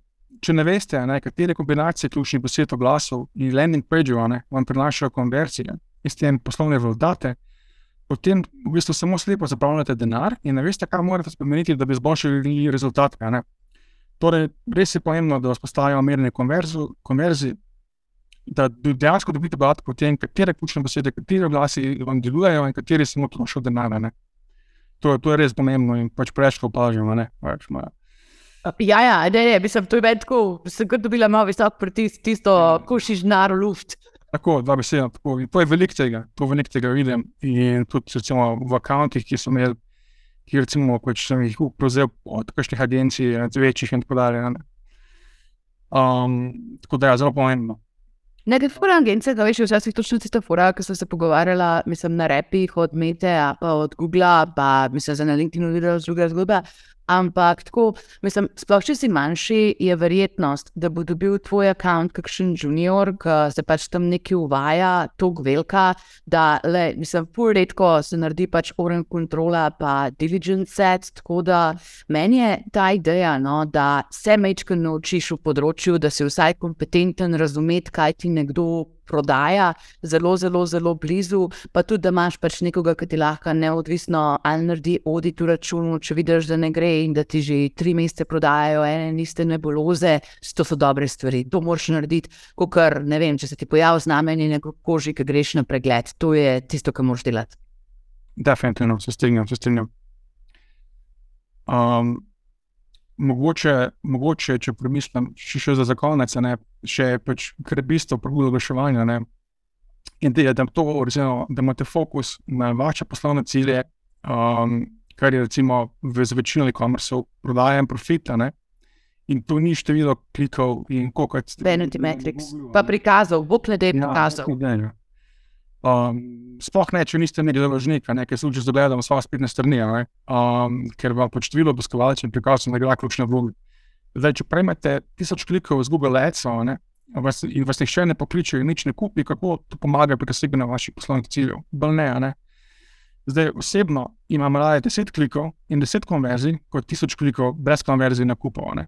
če ne veste, ne, katere kombinacije ključnih besed oglasov in landing page-ov, ne, vam prinašajo konverzije in s tem poslovne rezultate, potem v bistvu samo slepo zapravljate denar in ne veste, kaj morate spremeniti, da bi izboljšali rezultate, ne. Torej, res je pomembno, da vzpostavimo merjenje konverzij, da dejansko dobite podatke o tem, katere ključne besede, kateri oglasi vam delujejo in kateri samo trošijo denar, ne. To, to je res pomembno in pač preveč opažamo, ne. Pač, ma, Ja, ja, ne, ne, mislim, to je meni tako, sem kar dobila malo visok pritisk, tisto, košiš denar v luft. Tako, dva beseda, tako. In to je veliko tega, to veliko tega vidim in tudi recimo v akauntih, ki so imeli, ki recimo pač sem jih prevzel od kakšnih agencij, večjih in tako dalje, ne. Um, tako da je zelo pomembno. Nekaj fora agencije, da veš, včasih točno tista fora, ki sem se pogovarjala, mislim, na repih od Mete, a pa od Googla, pa mislim, za na LinkedInu videla z druga zgodba, ampak tako, mislim, sploh če si manjši, je verjetnost, da bo dobil tvoj account kakšen junior, ki se pač tam nekaj uvaja, toliko velika, da, le, mislim, ful redko se naredi pač oren kontrola pa diligence set, tako da meni je ta ideja, no, da se majčkeno naučiš v področju, da si vsaj kompetenten razumeti, kaj ti nekdo prodaja, zelo, zelo, zelo blizu, pa tudi, da imaš pač nekoga, ki ti lahko neodvisno ali naredi audit v računu, če vidiš, da ne gre in da ti že tri mesece prodajajo ene in iste nebuloze, to so dobre stvari. To moraš narediti, kakor, ne vem, če se ti pojavi znamenje na koži, ki greš na pregled. To je tisto, kar moraš delati. Definitivno, se strinjam, se strinjam. Um, mogoče, mogoče, če premislim, še, še za zakonec, ne, še pač krebisto pravilno oglaševanja, ne, in da, da, to, recimo, da imate fokus na vaše poslovne cilje, um, kar je recimo v večino e-commerceov prodaja in profita, ne, in to ni število klikov in koliko je... Vanity metrics, pa prikazov, bog ne dej prikazov. Ja, Um, sploh ne, če niste imeli založnika, ne, ker se že zagledamo svoje spletne strani, ne, um, ker vam pač število obiskovalcev in prikazov ne igra ključne vloge. Zdaj, če prejmete tisoč klikov z Google Ads-ov, ne, vas, in vas nihče ne pokliče in nič ne kupi, kako to pomaga pri doseganju vaših poslovnih ciljev? Bolj ne, ne. Zdaj, osebno imam raje deset klikov in deset konverzij, kot tisoč klikov brez konverzij na kupov, ne.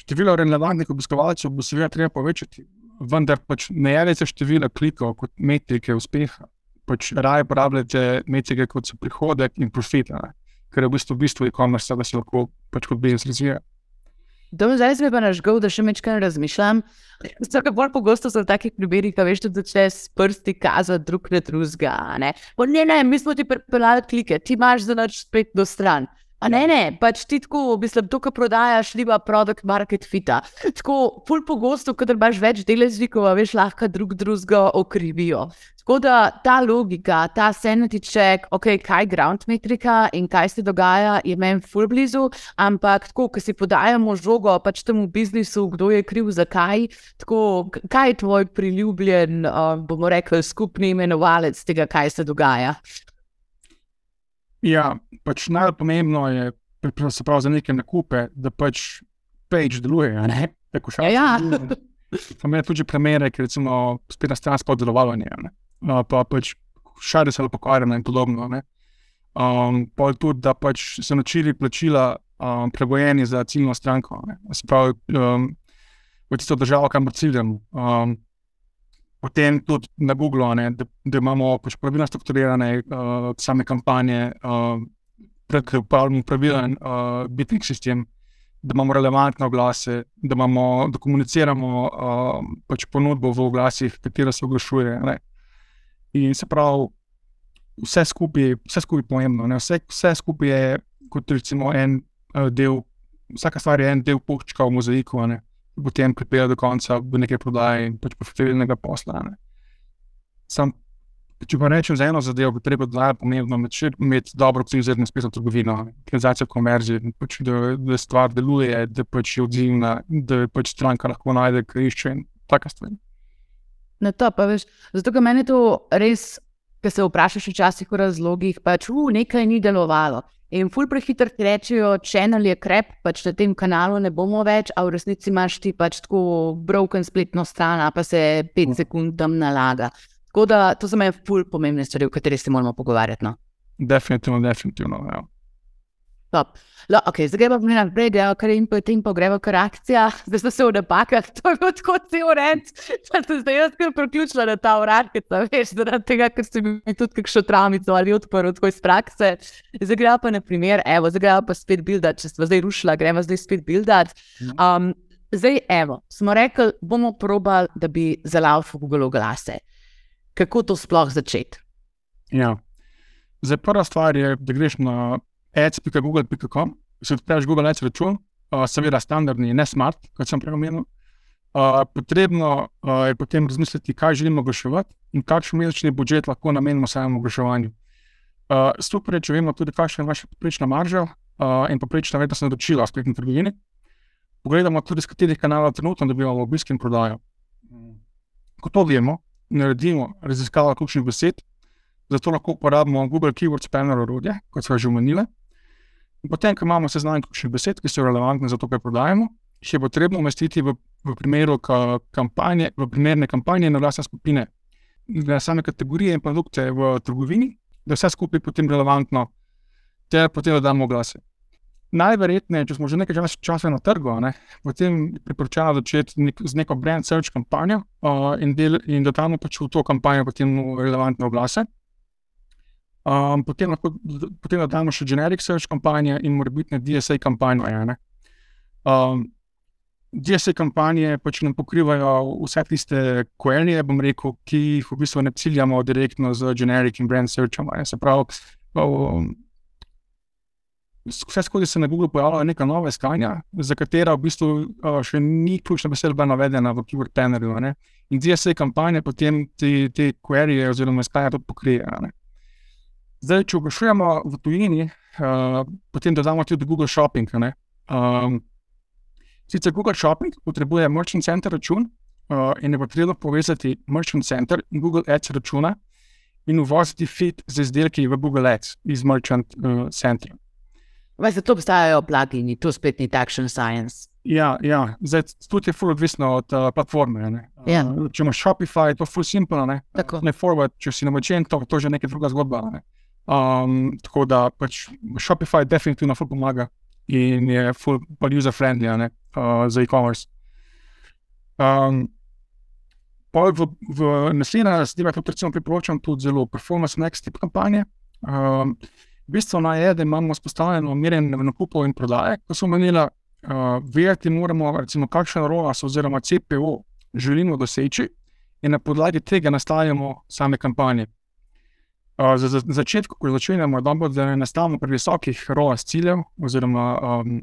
Število relevantnih obiskovalcev bo seveda treba povečati, vendar pač ne jemljete števila klikov kot metrike uspeha, pač raje porabljate metrike kot so prihodek in profit, ne? Ker je v bistvu bistvo e-commerce, da se lahko pač kot biznis razvija. Dom, zdaj se mi pa nažgal, da še mečkaj razmišljam. Vsaka bolj pogosto so v takih primerih, ka veš, da začne s prsti kazati drug na drugega, ne. Pa ne, ne, mi smo ti pripeljali klike, ti imaš za nič spet do stran. A ne, ne, pač ti tako, mislim, to, kar prodajaš, liba product market fita. Tako, ful pogosto, kadar imaš več deležnikov, veš, lahko drug drugega okrivijo. Tako da ta logika, ta sanity check, ok, kaj ground metrika in kaj se dogaja, je meni ful blizu, ampak tako, ko si podajamo žogo pač temu biznisu, kdo je kriv, zakaj, tako, kaj je tvoj priljubljen, um, bomo rekli, skupni imenovalec tega, kaj se dogaja? Ja, pač najpomembno je, se pravi za neke nakupe, da pač page deluje, ne? Tako šalce. Ja, ja. Pa imeli tudi primere, ki recimo spet na stran spod delovanje, ne? Uh, pa pač šare se pokvarjene in podobno, ne? Um, pa tudi, da pač so načini plačila um, pregojeni za ciljno stranko, ne? Se pravi, um, v tisto državo, kamor ciljamo. Um, Potem tudi na Googlu, ne, da, da imamo pač pravilno strukturirane uh, same kampanje, uh, uporabljamo pravilen uh, bidding sistem, da imamo relevantne oglase, da, imamo, da komuniciramo uh, pač ponudbo v oglasih, katera se oglašuje. Ne. In se pravi, vse skupaj, vse skupaj pomembno. Ne. Vse, vse skupaj je kot recimo en uh, del, vsaka stvar je en del puščka v mozaiku, ne. Potem pripelje do konca v neke prodaje in pač profitabilnega posla. Ne. Sam, če pa rečem za eno zadevo, bo treba da je pomembno imeti dobro optimizirano spletno trgovino, optimizacijo konverzije, pač, da, da stvar deluje, da pač je odzivna, da pač stranka lahko najde, kar išče in taka stvar. No to, pa veš, zato, ker meni to res, ko se vprašaš včasih o razlogih, pač u, nekaj ni delovalo. In ful prehitro ti rečejo, channel je krep, pač na tem kanalu ne bomo več, a v resnici imaš ti pač tako broken spletno stran, pa se pet sekund tam nalaga. Tako da, to so meni ful pomembne stvari, o kateri se moramo pogovarjati, no. Definitivno, definitivno, ja. Top. No, ok, zdaj gremo pa naprej, gremo kar in potem pa gremo kar akcija. Zdaj so se v napakah, to je bilo tako cel red. Pa sem zdaj jaz kar priključila na ta uradnica, veš, zaradi tega, ker sem mi tudi kakšno travmico ali odprl tako iz prakse. Zdaj gremo pa na primer, evo, zdaj gremo pa spet buildat, če smo zdaj rušila, gremo zdaj spet buildat. Um, zdaj, evo, smo rekli, bomo probali, da bi zalaufal Google oglase. Kako to sploh začeti? Ja. Zdaj, prva stvar je, da greš na ads pika google pika com, se odpreš Google Ads račun, uh, seveda standardni, ne smart, kot sem prej omenil. Uh, potrebno uh, je potem razmisliti, kaj želimo oglaševati in kakšen mesečni budžet lahko namenimo samemu oglaševanju. Uh, super je, če vemo tudi, kakšna je vaša poprečna marža uh, in poprečna vrednost naročila v spletni trgovini. Pogledamo tudi, z katerih kanalov trenutno dobivamo obisk in prodajo. Ko to vemo, naredimo raziskavo ključnih besed, zato lahko uporabimo Google Keyword Spanner orodje, kot sva že omenila. In potem, ko imamo seznam ključnih besed, ki so relevantne za to, kaj prodajamo, jih je potrebno umestiti v, v primeru kampanje, v primerne kampanje na lastne skupine, na same kategorije in produkte v trgovini, da vse skupaj potem relevantno, ter potem dodamo oglase. Najverjetneje, če smo že nekaj časa na trgu, ne, potem priporočamo začeti nek, z neko brand search kampanjo uh, in, del, in dodamo pač v to kampanjo potem relevantne oglase. Um, potem lahko potem dodamo še generic search kampanje in morebitne D S A kampanje. Ne. Um, D S A kampanje pač nam pokrivajo vse tiste queryje, bom rekel, ki jih v bistvu ne ciljamo direktno z generic in brand searchom. Se pravi, um, vse skozi se na Google pojavljajo neka nova iskanja, za katera v bistvu uh, še ni ključna beseda navedena v Keyword Plannerju. Ne. In D S A kampanje potem te, te queryje oziroma iskanja tudi pokrije. Ne. Zdaj, če oglašujemo v tujini, uh, potem dodamo tudi Google Shopping. Ne. Um, sicer Google Shopping potrebuje Merchant Center račun uh, in je potrebno povezati Merchant Center in Google Ads računa in uvoziti feed z izdelki v Google Ads iz Merchant uh, Centra. Vaj, zato obstajajo plugini, to spet ni takšen science. Ja, ja. Zdaj, tudi je ful odvisno od uh, platforme. Ne. Ja. Uh, če imaš Shopify, to je ful simple, ne. Tako. Ne forward, če si na Magento, to je že neka druga zgodba. Ne. Um, tako da pač Shopify definitivno ful pomaga in je ful user-friendly ne, uh, za e-commerce. Um, pa v, v naslednja zadeva, tudi recimo priporočam tudi zelo Performance Max tip kampanje. Um, Bistveno je, da imamo vzpostavljeno merjenje nakupov in prodaje. Ko smo menili, uh, vedeti moramo, recimo, kakšen R O A S oziroma C P O želimo doseči in na podlagi tega nastavljamo same kampanje. Uh, za, za začetku, ko začenjamo, dobro, da ne nastavimo pri visokih R O A S ciljev oziroma um,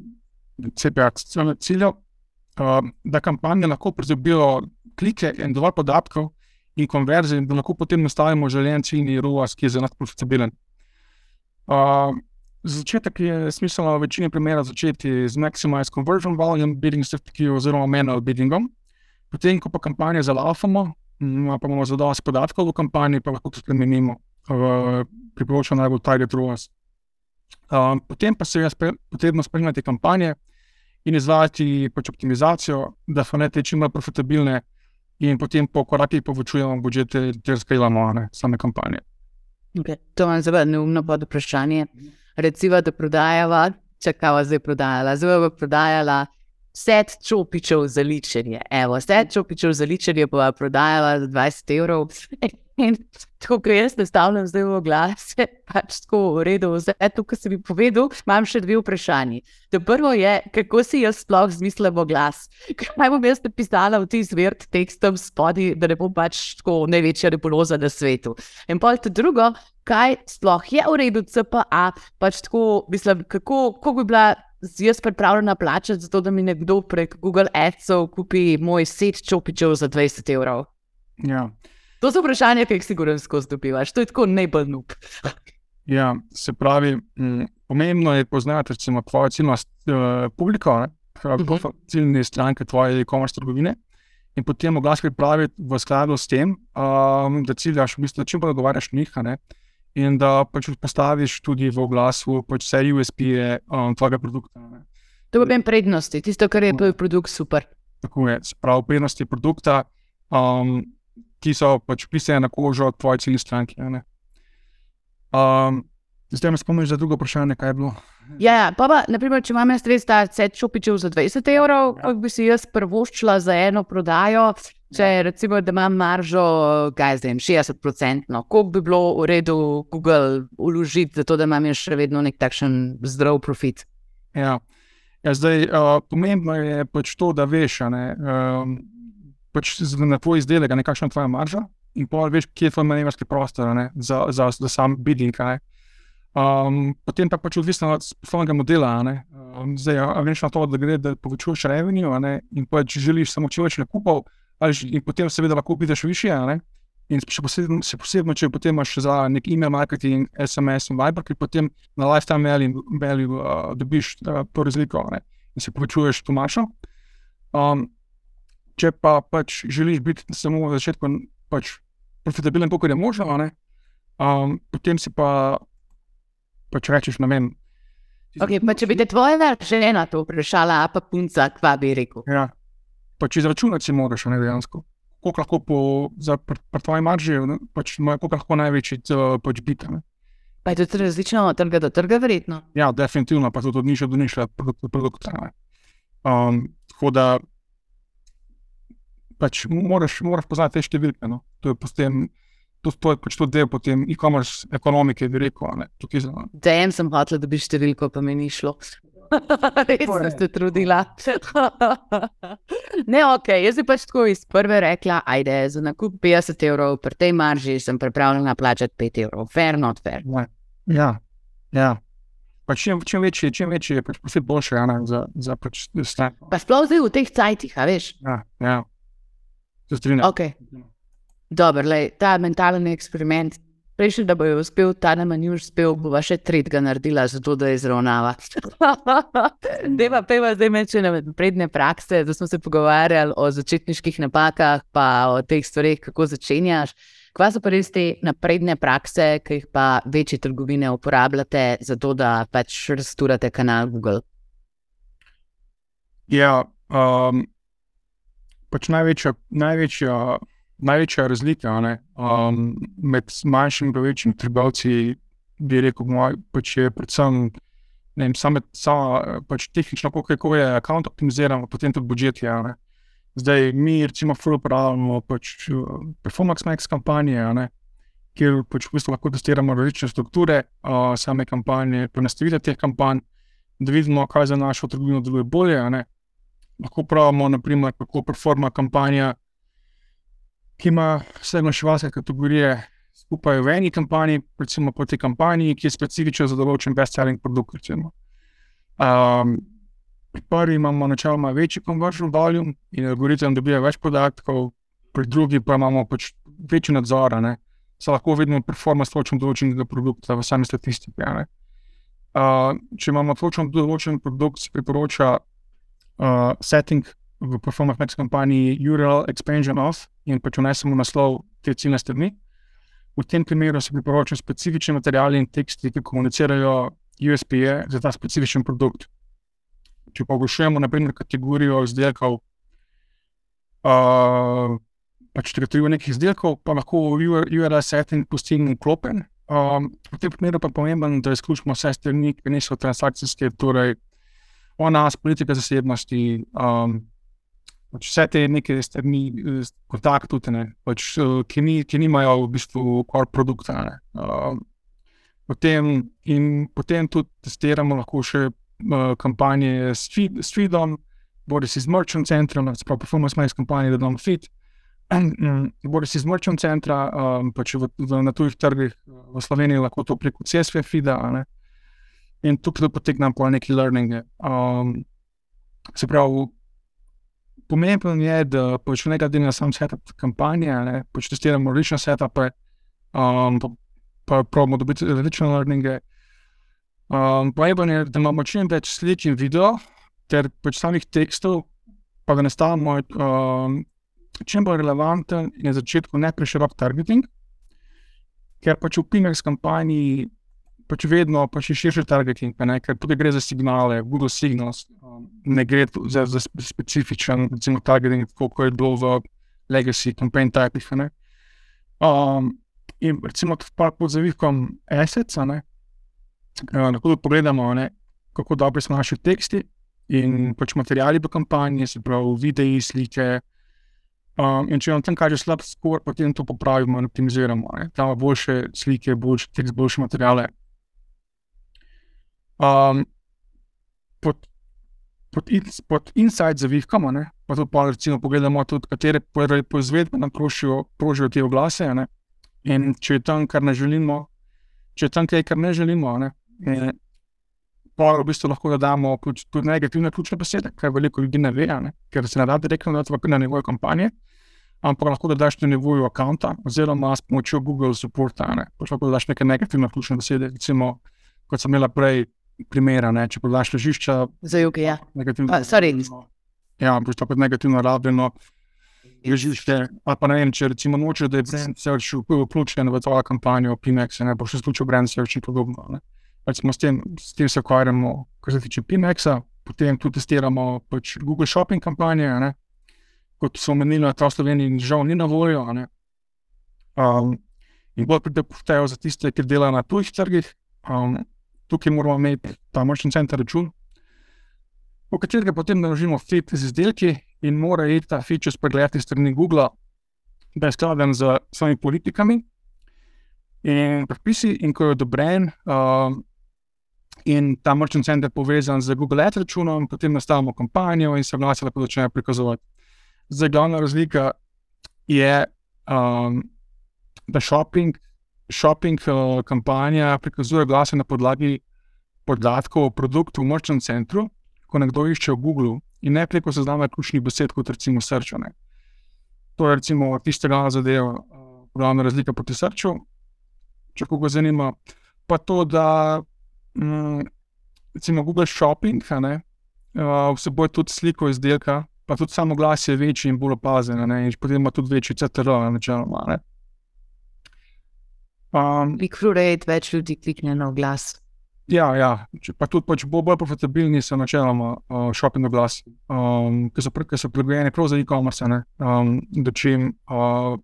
C P A ciljev, uh, da kampanje lahko pridobijo klike in dovolj podatkov in konverzij, da lahko potem nastavimo željen ciljni R O A S, ki je za nas profitabilen. Uh, za začetek je smiselno v večini primerov začeti z Maximize Conversion Volume bidding strategijo oziroma manual biddingom. Potem, ko pa kampanje zalaufamo, pa imamo zadosti podatkov v kampanji, pa lahko to spremenimo v priporočeno najbolj target R O A S. Uh, potem pa se je spre, potrebno spremljati kampanje in izvajati pač optimizacijo, da so ne te čim bolj profitabilne in potem po korakih povečujemo budžete ter skalamo same kampanje. Okay. To vam zelo neumno pod vprašanje. Recimo, da prodajava, čakava zdaj prodajala, zdaj bo prodajala set čopičev za ličenje. Evo, set čopičev za ličenje bova prodajala za dvajset evrov. In tako, ko jaz nastavljam zdaj v glas, je pač tako v redu. Zdaj, to, kar si mi povedal, imam še dve vprašanji. To prvo je, kako si jaz sploh zmislila glas? Kaj bom jaz napisala v ti zvert tekstom spodi, da ne bom pač tako največja nebuloza na svetu. In pol to drugo, kaj sploh je v redu C P A, pač tako, mislim, kako, kako bi bila jaz pripravljena plačati za to, da mi nekdo prek Google Adsov kupi moj set čopičev za dvajset evrov. Ja. To so vprašanja, ki jih sigurno skozi dobivaš. To je tako najbolj noob. Ja, se pravi, m, pomembno je poznati recimo tvojo ciljno uh, publiko, ne? Uh-huh. Ciljne stranke tvoje e-commerce trgovine in potem oglas pripraviti v skladu s tem, um, da ciljaš, v bistvu, da čim bolj dogovarjaš njih, ne? In da pač postaviš tudi v oglasu pač vse U S P-je um, tvojega produkta. Ne? To pa vem prednosti, tisto, kar je tvoj produkt super. Tako je, se pravi prednosti produkta, um, ki so pač pisane na kožo tvoje ciljne stranke. Ne? Um, zdaj me spomniš za drugo vprašanje, kaj je bilo? Ja, ja, pa pa, naprimer, če imam jaz res ta set čopičev za dvajset evrov, kako bi si jaz prvoščila za eno prodajo, če recimo, da imam maržo, kaj zdaj, šestdeset procentno, koliko bi bilo v redu Google vložiti, zato da imam še vedno nek takšen zdrav profit? Ja, ja zdaj, uh, pomembno je pač to, da veš, ne, um, pač na tvoj izdelek, ne, kakšna je tvoja marža in pa veš, kje je tvoj manevrski prostor, ne, za, za, za sam bidding, ne. Um, potem pa pač odvisno od poslovnega modela, ne. Um, zdaj, a veš na to, da gre, da povečuješ revenue, ne, in pač želiš samo čim več nakupov, ali in potem seveda lahko prideš višje, ne, in še posebno, še posebno, če potem imaš za nek email marketing, S M S in Viber, ki potem na lifetime value, value uh, dobiš uh, to razliko, ne, in se povečuješ to mašo. Um, če pa pač želiš biti samo v začetku pač profitabilen, koliko je možno, ne, um, potem si pa pač rečeš, ne vem. Ok, pa če bi te tvoja žena to vprašala, a pa punca, kva bi rekel? Ja, pač izračunati si moraš, ne, dejansko. Koliko lahko po, za pri, pri tvoji marži, pač koliko lahko največji pač biti, ne. Pa je to različno od trga do trga, verjetno? Ja, definitivno, pa tudi od niša do niša produkta, ne. Um, tako da pač moraš, moraš poznati te številke, no. To je potem, to, to je pač to del potem e-commerce ekonomike, bi rekel, ne. Tukaj za... Dajem sem hotela, da bi številko, pa mi ni šlo. Res sem se trudila. Ne, ok, jaz bi pač tako iz prve rekla, ajde, za nakup petdeset evrov, pri tej marži sem pripravljena plačati pet evrov. Fair, not fair. Ja, ja. Pa čim, čim večji, čim večji je pač profit boljše, ja, za, za pač stran. Pa sploh zdaj v teh cajtih, a veš? Ja, ja. Se strinjam. Ok. Dobar, lej, ta mentalni eksperiment, prejšnji, da bo jo uspel, ta nam ni uspel, bova še tretjega naredila, zato da je izravnava. Deva peva zdaj meče na predne prakse, da smo se pogovarjali o začetniških napakah, pa o teh stvareh, kako začenjaš. Kva so pa res te napredne prakse, ki jih pa večje trgovine uporabljate, zato da pač rasturate kanal Google? Ja, um, pač največja, največja, največja razlika, ne, um, med manjšimi in večjimi trgovci, bi rekel, moj, pač je predvsem, ne vem, same, sama, pač tehnično, kako je account optimiziran, potem tudi budžetje, ne. Zdaj, mi recimo ful uporabljamo pač Performance Max kampanje, ne, kjer pač v bistvu lahko testiramo različne strukture uh, same kampanje, prenastavitve teh kampanj, da vidimo, kaj za našo trgovino deluje bolje, ne. Lahko pravimo, naprimer, kako performa kampanja, ki ima vse oglaševalske kategorije skupaj v eni kampanji, recimo po tej kampanji, ki je specifična za določen best-selling produkt, recimo. Um, pri prvi imamo načeloma večji conversion volume in algoritem dobija več podatkov, pri drugi pa imamo pač večji nadzor, ne. Se lahko vidimo performance točno določenega produkta v sami statistiki, ne. Uh, če imamo točno določen produkt, se priporoča Uh, setting v Performance Max kampanji U R L expansion off in pač vnesemo naslov te ciljne strani. V tem primeru se priporočajo specifični materiali in teksti, ki komunicirajo U S P-je za ta specifičen produkt. Če pa oglašujemo na primer kategorijo izdelkov, uh, pač kategorijo nekih izdelkov, pa lahko U R L setting pustim vklopen. Um, v tem primeru pa pomembno, da izključimo vse strani, ki niso transakcijske, torej o nas, politika zasebnosti, um, pač vse te neke strani, kontakt tudi, ne, pač, ki, ni, ki nimajo v bistvu core produkta. Ne. Uh, potem, in potem tudi testiramo lahko še uh, kampanje s, feed, s feedom, bodi si z merchant centrom, sprav performance mail kampanje, da dam feed, bodi si z merchant centra, um, pač v, v, na tujih trgih v Sloveniji lahko to preko C S V feeda, ne. In tukaj poteknem po neki learninge. Um, se pravi, pomembno je, da pač nekaj delimo sam setup kampanje, ne, pač testiramo različne setupe, um, pa, pa probamo dobiti različne learninge. Um, pomembno je, da imamo čim več slik in video, ter pač samih tekstov, pa da nastavimo um, čim bolj relevanten in na začetku ne preširok targeting, ker pač v P-Max kampanji pač vedno pač je širši targeting, ne, ker tudi gre za signale, Google Signals, um, ne gre za, za specifičen recimo targeting, koliko je bilo v legacy campaign typih. Ne. Um, in recimo pa pod zavihkom assets, ne, uh, lahko pogledamo, ne, kako dobri so naši teksti, in pač materiali v kampanji, se pravi videi, slike, um, in če vam tam kaže slab skor, potem to popravimo in optimiziramo, ne. Tam boljše slike, boljše tekst, boljše materiale. Um, pod, pod, in, pod insight zavihkamo, ne, pa tudi pa recimo pogledamo tudi, katere proizvedbe nam prošijo, prožijo te oglase, ne, in če je tam, kar ne želimo, če je tam kaj, kar ne želimo, ne, in, pa v bistvu lahko dodamo tudi negativne ključne besede, kar veliko ljudi ne ve, ne? Ker se ne da direktno dati na nivoju kampanje, ampak lahko dodaš na nivoju accounta, oziroma s pomočjo Google supporta, ne? Pač lahko dodaš neke negativne ključne besede, recimo, kot sem imela prej primera, ne? Če podaš ležišča... Za juge, ja. Negativno... Uh, sorry. Ja, pač tako negativno rabljeno ležišče, ali pa ne vem, če recimo noče, da je brand search vključen v tvojo kampanjo P-Max, ne? Boš izključil brand search in podobno, ne? Recimo s tem, s tem se ukvarjamo, kar se tiče P-Maxa, potem tudi testiramo pač Google Shopping kampanje, ne, kot so omenili, ta v Sloveniji žal ni na voljo, ne. Um, in bolj pridepoštejo za tiste, ki delajo na tujih trgih. Um, tukaj moramo imeti ta merchant center račun, v katerega potem naložimo feed z izdelki in mora iti ta feed čez pregled iz strani Google, da je skladen z svojimi politikami in predpisi, in ko je odobren, um, in ta merchant center povezan z Google Ads računom, potem nastavimo kampanjo in se oglasi lahko začnejo prikazovati. Zdaj, glavna razlika je, um, da shopping, shopping uh, kampanja prikazuje oglase na podlagi podatkov o produktu v merchant centru, ko nekdo išče v Google in ne preko seznama ključnih besed, kot recimo search. Ne. To je recimo tista glavna zadeva, uh, glavna razlika proti searchu, če koga zanima. Pa to, da Mm, recimo Google Shopping, ne, uh, vseboj tudi sliko izdelka, pa tudi samo glas je večji in bolj opazen, ne, in potem ima tudi večji C T R načeloma, ne. Um, Click-through rate, več ljudi klikne na oglas. Ja, ja, pa tudi pač bolj, bolj profitabilni so načeloma uh, shopping oglasi, um, ki so, so prilagojeni prav za e-commerce, ne, um, da čim uh,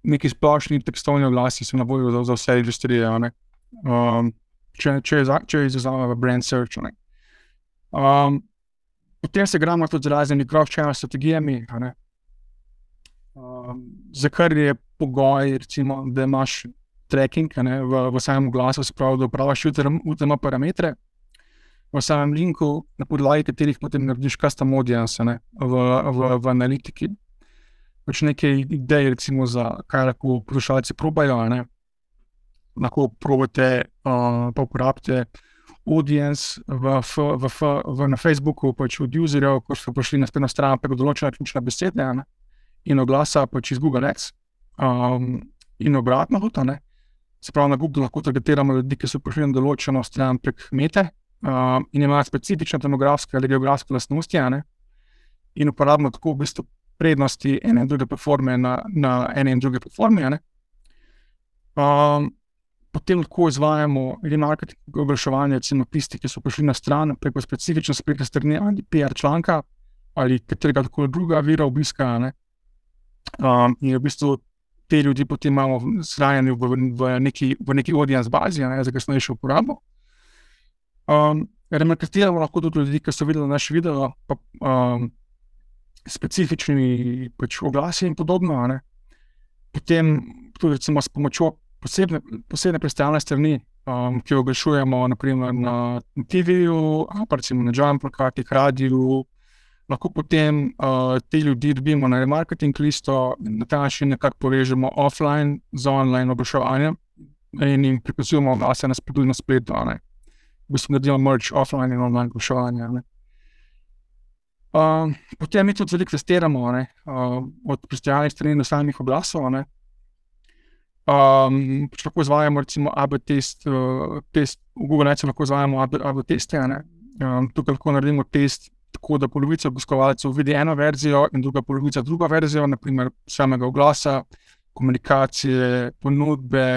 neki splošni tekstovni oglasi so na voljo za, za vse industrije, ne. Um, če, če, če izazove v brand search. Um, potem se gramo tudi z raznimi cross-channel strategijami, ne. Um, za kar je pogoj, recimo, da imaš tracking, ne, v, v samem oglasu, se pravi, da upravljaš U T M parametre v samem linku, na podlagi katerih potem narediš custom audience, ne, v, v, v analitiki. Pač neke ideje, recimo, za kaj lahko poslušalci probajo, ne. Lahko probate, uh, pa uporabite audience v, v, v, v, na Facebooku pač od userjev, ko so prišli na spletno stran preko določene ključne besede, ne, in oglasa pač iz Google Ads. Um, in obratno tudi, ne. Se pravi, na Google lahko targetiramo ljudi, ki so prišli na določeno stran prek mete um, in imajo specifične demografske ali geografske lastnosti, ne, in uporabimo tako v bistvu prednosti ene in druge platforme na, na ene in druge platforme, ne. Um, Potem lahko izvajamo remarketing oglaševanje, recimo tisti, ki so prišli na stran preko specifične spletne strani ali P R članka ali katerega tako druga vira obiska, ne. Um, in v bistvu te ljudi potem imamo shranjeni v, v, neki, v neki audience bazi, ne, za kasnejšo uporabo. Um, remarketiramo lahko tudi ljudi, ki so videli naš video, pa um, specifični pač oglasi in podobno. Ne. Potem tudi recimo s pomočjo posebne, posebne predstavne strani, um, ki jo oglašujemo naprimer na T V-ju, ali pa recimo na jam plakatih, radiju, lahko potem uh, te ljudi dobimo na remarketing listo, na ta način nekako povežemo offline z online oglaševanjem in jim prikazujemo oglase na spletu in na spletu. Ne. V bistvu naredimo merge offline in online oglaševanja. Ne. Uh, potem mi tudi veliko testiramo, ne, uh, od predstavljalnih strani do samih oglasov. Ne. Um, pač lahko izvajamo recimo A B test, uh, test v Google Ads lahko izvajamo A B teste. Ne. Um, tukaj lahko naredimo test tako, da polovica obiskovalcev vidi eno verzijo in druga polovica druga verzijo, naprimer samega oglasa, komunikacije, ponudbe,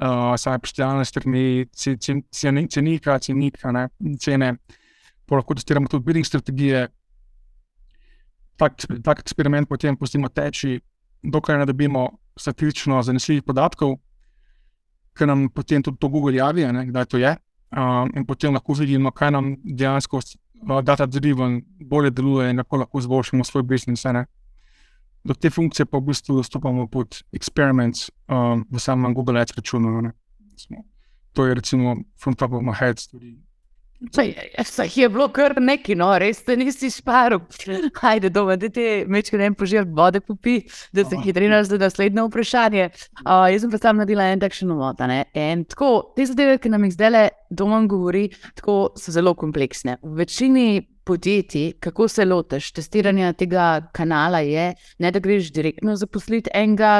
uh, same predstavljalne strani, cenika, cenika, ne, cene. Pa lahko testiramo tudi bidding strategije. Tak, tak eksperiment potem pustimo teči, dokler ne dobimo statistično zanesljivih podatkov, ker nam potem tudi to Google javi, ne, kdaj to je. Um, in potem lahko vidimo, kaj nam dejansko uh, data-driven bolje deluje in kako lahko izboljšamo svoj biznis. Ne. Do te funkcije pa v bistvu dostopamo pod experiments um, v samem Google Ads računu. Ne. To je recimo from top of my head stvari. Saj, saj je bilo kar neki, no, res te nisi šparil. Hajde doma, da ti mečke ne požel vode popi, da se hitrinaš za naslednje vprašanje. Uh, jaz sem pa sam naredila en takšen uvod, ne. In tako, te zadeve, ki nam jih zdajle doma govori, tako so zelo kompleksne. V večini podjetij, kako se lotiš testiranja tega kanala je, ne da greš direktno zaposliti enega,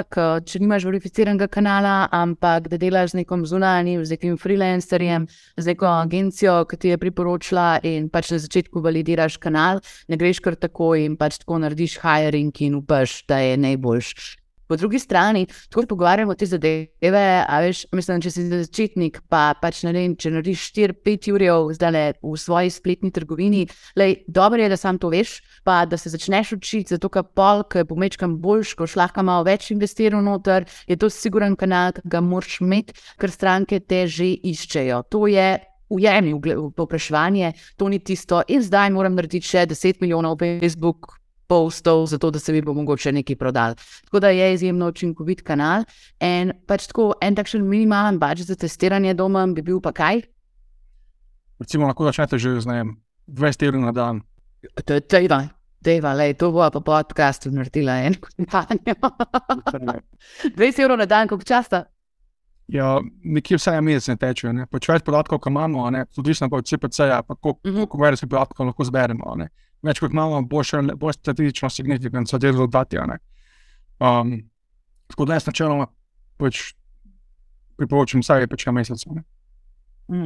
če nimaš verificiranega kanala, ampak da delaš z nekom zunanjim, z nekim freelancerjem, z neko agencijo, ki ti je priporočila in pač na začetku validiraš kanal, ne greš kar tako in pač tako narediš hiring in upaš, da je najboljš. Po drugi strani, tako pogovarjamo te zadeve, a veš, mislim, če si začetnik, pa pač ne vem, če narediš štiri pet urjev zdajle v svoji spletni trgovini, lej, dobro je, da sam to veš, pa da se začneš učiti, zato ka pol, ki bo mečkam boljš, ko šlahka malo več investiral noter, je to siguren kanal, ki ga moraš imeti, ker stranke te že iščejo. To je ujemni povpraševanje, to ni tisto, in zdaj moram narediti še deset milijonov Facebook postov, zato da se mi bo mogoče nekaj prodal. Tako da je izjemno učinkovit kanal in pač tako en takšen minimalen budget za testiranje doma bi bil pa kaj? Recimo lahko začnete že z ne, dvajset evrov na dan. Tejva, tejva, lej, to bo pa podcastu naredila en kampanjo. dvajset evrov na dan, koliko časa? Ja, nekje vsaj mesec ne tečejo, ne. Pač več podatkov, ko imamo, ne, odvisno pa od C P C-ja, pa koliko več podatkov lahko zberemo, ne. Več kot imamo, bo še bolj statistično signifikantno so te rezultati, ne. Um, tako da jaz načeloma pač priporočam vsaj pač na mesec, ne.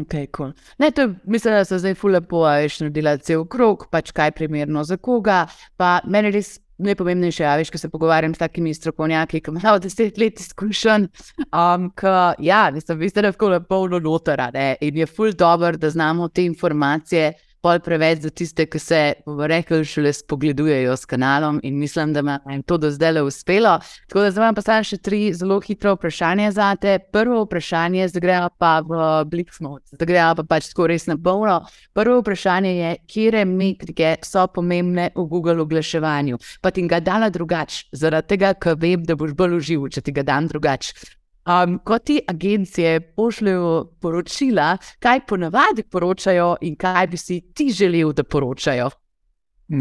Ok, cool. Ne, to je, mislim, da so zdaj ful lepo, a veš, naredila cel krog, pač kaj primerno za koga, pa meni res najpomembnejše, a veš, ko se pogovarjam s takimi strokovnjaki, ki imajo deset let izkušenj, um, ki, ja, mislim, vi ste lahko polno notara, ne, in je ful dobro, da znamo te informacije pol preveč za tiste, ki se, bomo rekli, šele spogledujejo s kanalom in mislim, da jim to do zdaj le uspelo. Tako da zdaj vam pa samo še tri zelo hitre vprašanja zate. Prvo vprašanje, zdaj gremo pa v Blitz mode, zdaj gremo pa pač tako res na polno. Prvo vprašanje je, kjere metrike so pomembne v Google oglaševanju. Pa ti ga dala drugač, zaradi tega, ker vem, da boš bolj užival, če ti ga dam drugač. Um, ko ti agencije pošljajo poročila, kaj ponavadi poročajo in kaj bi si ti želel, da poročajo?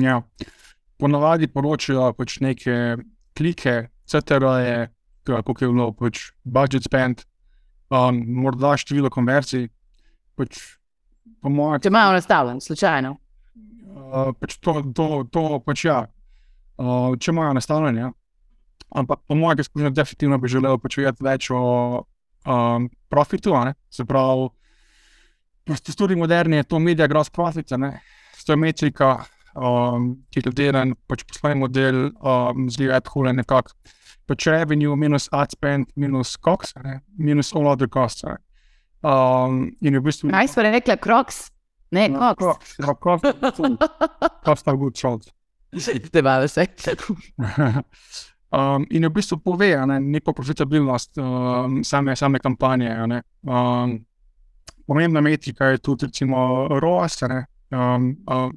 Ja, ponavadi poročajo pač neke klike, C T R-je, kako je bilo pač budget spend, um, morda število konverzij, pač po mojem... Če imajo nastavljen, slučajno? Uh, pač to, to, to pač ja, uh, če imajo nastavljen, ja. Ampak po mojem izkušnju definitivno bi želel počujeti več o um, profitu, ne? Se pravi, v tudi moderni je to media gross profit, ne? To je metrika, um, ki je delen, pač poslovni model um, zgleda takole nekako, pač revenue minus ad spend minus costs, ne? Minus all other costs. Ne? Um, in v bistvu... Kaj smo rekla, Crocs? Ne, no, Cox. Ja, Cox, Cox are good sold. Te bave se. Um, in je v bistvu pove, ne, neko profitabilnost um, same, same kampanje. Ne. Um, pomembna metrika je tudi recimo R O A S, ne, um, um,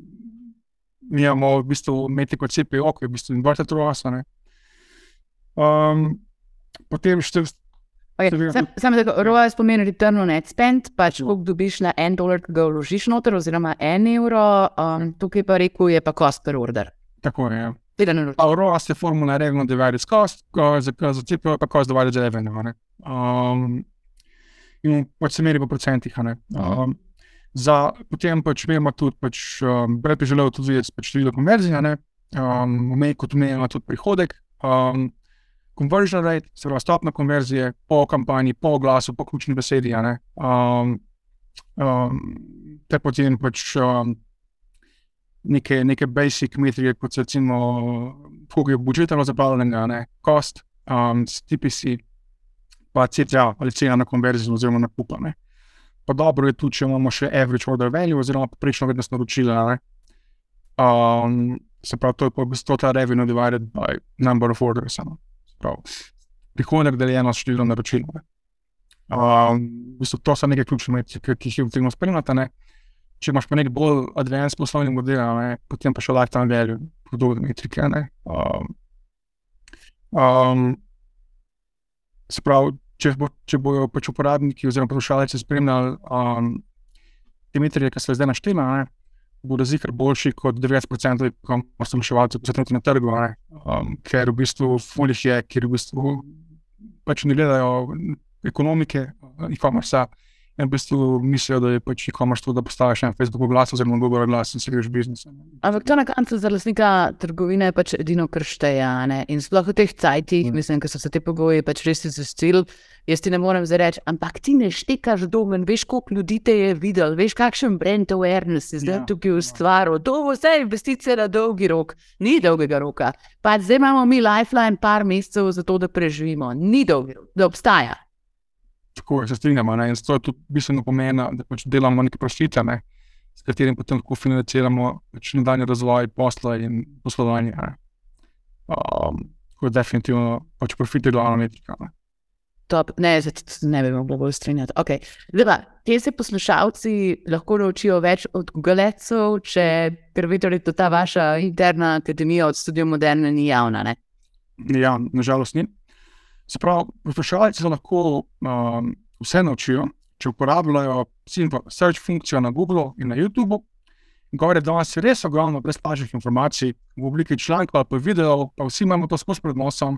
mi imamo v bistvu imeti kot C P O, ki je v bistvu inverted R O A S. Um, potem šte... Okay. Sam, sam tako, R O A S pomeni return on ad spend, pač koliko dobiš na en dolar, ki ga vložiš noter, oziroma en evro, um, tukaj pa rekel je pa cost per order. Tako je, ja. R O A S je formula revenue divided cost, za, za C P O pa cost divided revenue. Um, in pač se meri po procentih. Um, za, potem pač imamo tudi, pač, um, Brad bi želel tudi videti pač število konverzij, um, omej kot omejeno tudi prihodek, um, conversion rate, se pravi stopna konverzije po kampanji, po oglasu, po ključni besedi, um, um, te potem pač um, Neke, neke basic metrike, kot so recimo koliko je budžetno zapravljenega, cost, um, T P C, pa C T A ali cena na konverzijo oziroma na kupa. Ne. Pa dobro je tudi, če imamo še average order value oziroma poprečno vrednost naročila. Um, se pravi, to je pa v bistvu ta revenue divided by number of orders. Se pravi, prihodek deljeno s številom naročil. Um, v bistvu to so neke ključne metrike, ki jih je potrebno spremljati. Ne. Če imaš pa nek bolj advanced poslovni model, ne, potem pa še lifetime value, podobne metrike. Um, um, se pravi, če, bo, če bojo pač uporabniki oziroma poslušalci spremljali um, te metrike, ki so zdaj naštela, bodo zikr boljši kot devetdeset procentov poslušalcev, ki so trenutno na trgu, um, ker v bistvu folih je, ker v bistvu pač ne gledajo ekonomike e-commerce, in v bistvu mislijo, da je pač e-commerce to, da postaviš en Facebook oglas oziroma Google oglas in se greš biznis. Ampak to na koncu za lastnika trgovine je pač edino, kar šteje, ne? In sploh v teh cajtih, mm. mislim, ker so se te pogoji pač res izvestil, jaz ti ne morem zdaj reči, ampak ti ne štekaš domen, veš, koliko ljudi te je videl, veš, kakšen brand awareness je zdaj ja, tukaj ustvaril, to bo vse investicije na dolgi rok, ni dolgega roka. Pa zdaj imamo mi lifeline par mesecev za to, da preživimo, ni dolgi rok, da obstaja. Tako se strinjamo, ne? In to je tudi bistveno pomena, da pač delamo neke profite, ne? S katerim potem lahko financiramo pač nadaljnji razvoj posla in poslovanja. Ne? Um, tako je definitivno pač profit je glavna metrika. Ne? Top, ne, zato ne bi mogla bolj strinjati. Okay. Zdaj, kje se poslušalci lahko naučijo več od Google Adsov, če ker torej ta vaša interna akademija od Studio Moderne ni javna, ne? Ja, nažalost ni. Se pravi, poslušalci se lahko um, vse naučijo, če uporabljajo search funkcijo na Google in na YouTube. Gore danes je res ogromno brezplačnih informacij v obliki člankov ali pa videov, pa vsi imamo to skozi pred nosom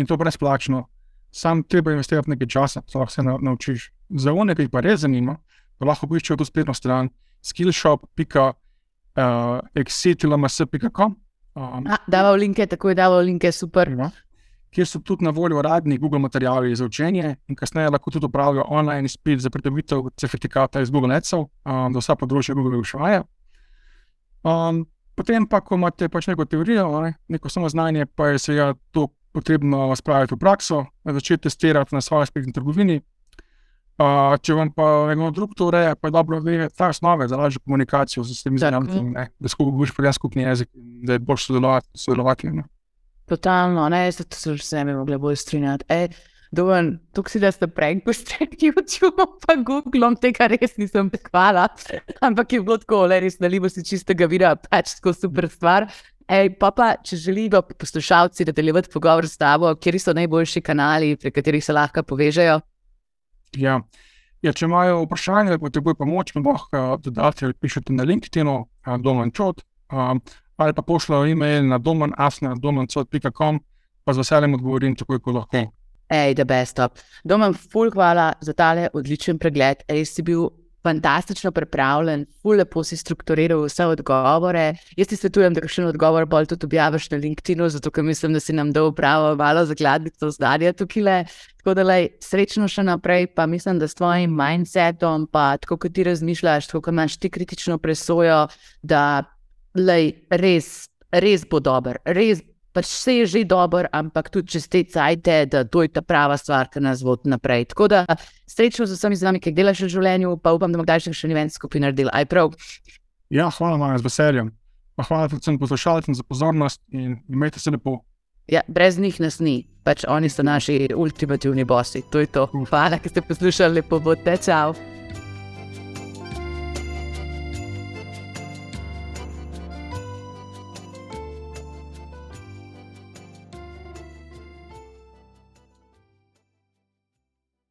in to brezplačno. Sam treba investirati nekaj časa, da lahko se naučiš. Za one, ki jih pa res zanima, pa lahko poiščejo to spletno stran skillshop pika exit l m s pika com. Um, Dava v linke, tako je dava v linke, super. Ja. Kjer so tudi na voljo radni Google materiali za učenje in kasneje lahko tudi upravijo online izpit za pridobitev certifikata iz Google Adsov, um, za vsa področja Google vprašanja. Um, potem pa, ko imate pač neko teorijo, ne, neko samo znanje, pa je seveda to potrebno spraviti v prakso, začeti testirati na svoji spletni trgovini. Uh, če vam pa nekdo drug to ureja, pa je dobro vedeti ta osnove za lažjo komunikacijo z temi znanjami, da boš povedal skupni jezik in da je boljš sodelovati. sodelovati ne. Totalno, ne, zato se že ne bi mogla bolj strinjati. E, Domen, tukaj si da ste prank postredi YouTube pa Googlom, tega res nisem hvala, ampak je bilo tako, le res nalivo si čistega vira, pač tako super stvar. Ej, pa pa, če želijo poslušalci nadaljevati pogovor s tabo, kjeri so najboljši kanali, pri katerih se lahko povežejo? Ja, ja če imajo vprašanje, potrebujo pomoč, mi lahko dodati ali pišete na LinkedInu, Domen Čot, um, ali pa pošljajo e-mail na domen afna domen cot pika com, pa z veseljem odgovorim takoj, ko lahko. Ej, the best top. Domen, ful hvala za tale odličen pregled. Ej, si bil fantastično pripravljen, ful lepo si strukturiral vse odgovore. Jaz ti svetujem, da kakšen odgovor bolj tudi objaviš na LinkedInu, zato ker mislim, da si nam dal pravo malo zakladnico znanja tukajle. Tako da lej, srečno še naprej, pa mislim, da s tvojim mindsetom, pa tako, kot ti razmišljaš, tako, kot imaš ti kritično presojo, da lej, res, res bo dober, res, pač vse je že dober, ampak tudi čez te cajte, da to je ta prava stvar, ki nas vodi naprej. Tako da srečno z vsemi z vami, ki delaš v življenju, pa upam, da bomo kdaj še event skupaj naredili. Aj prav? Ja, hvala Maja, z veseljem. Pa hvala predvsem poslušalcem za pozornost in imejte se lepo. Ja, brez njih nas ni, pač oni so naši ultimativni bossi, to je to. Hvala, ki ste poslušali, lepo bodite, čau.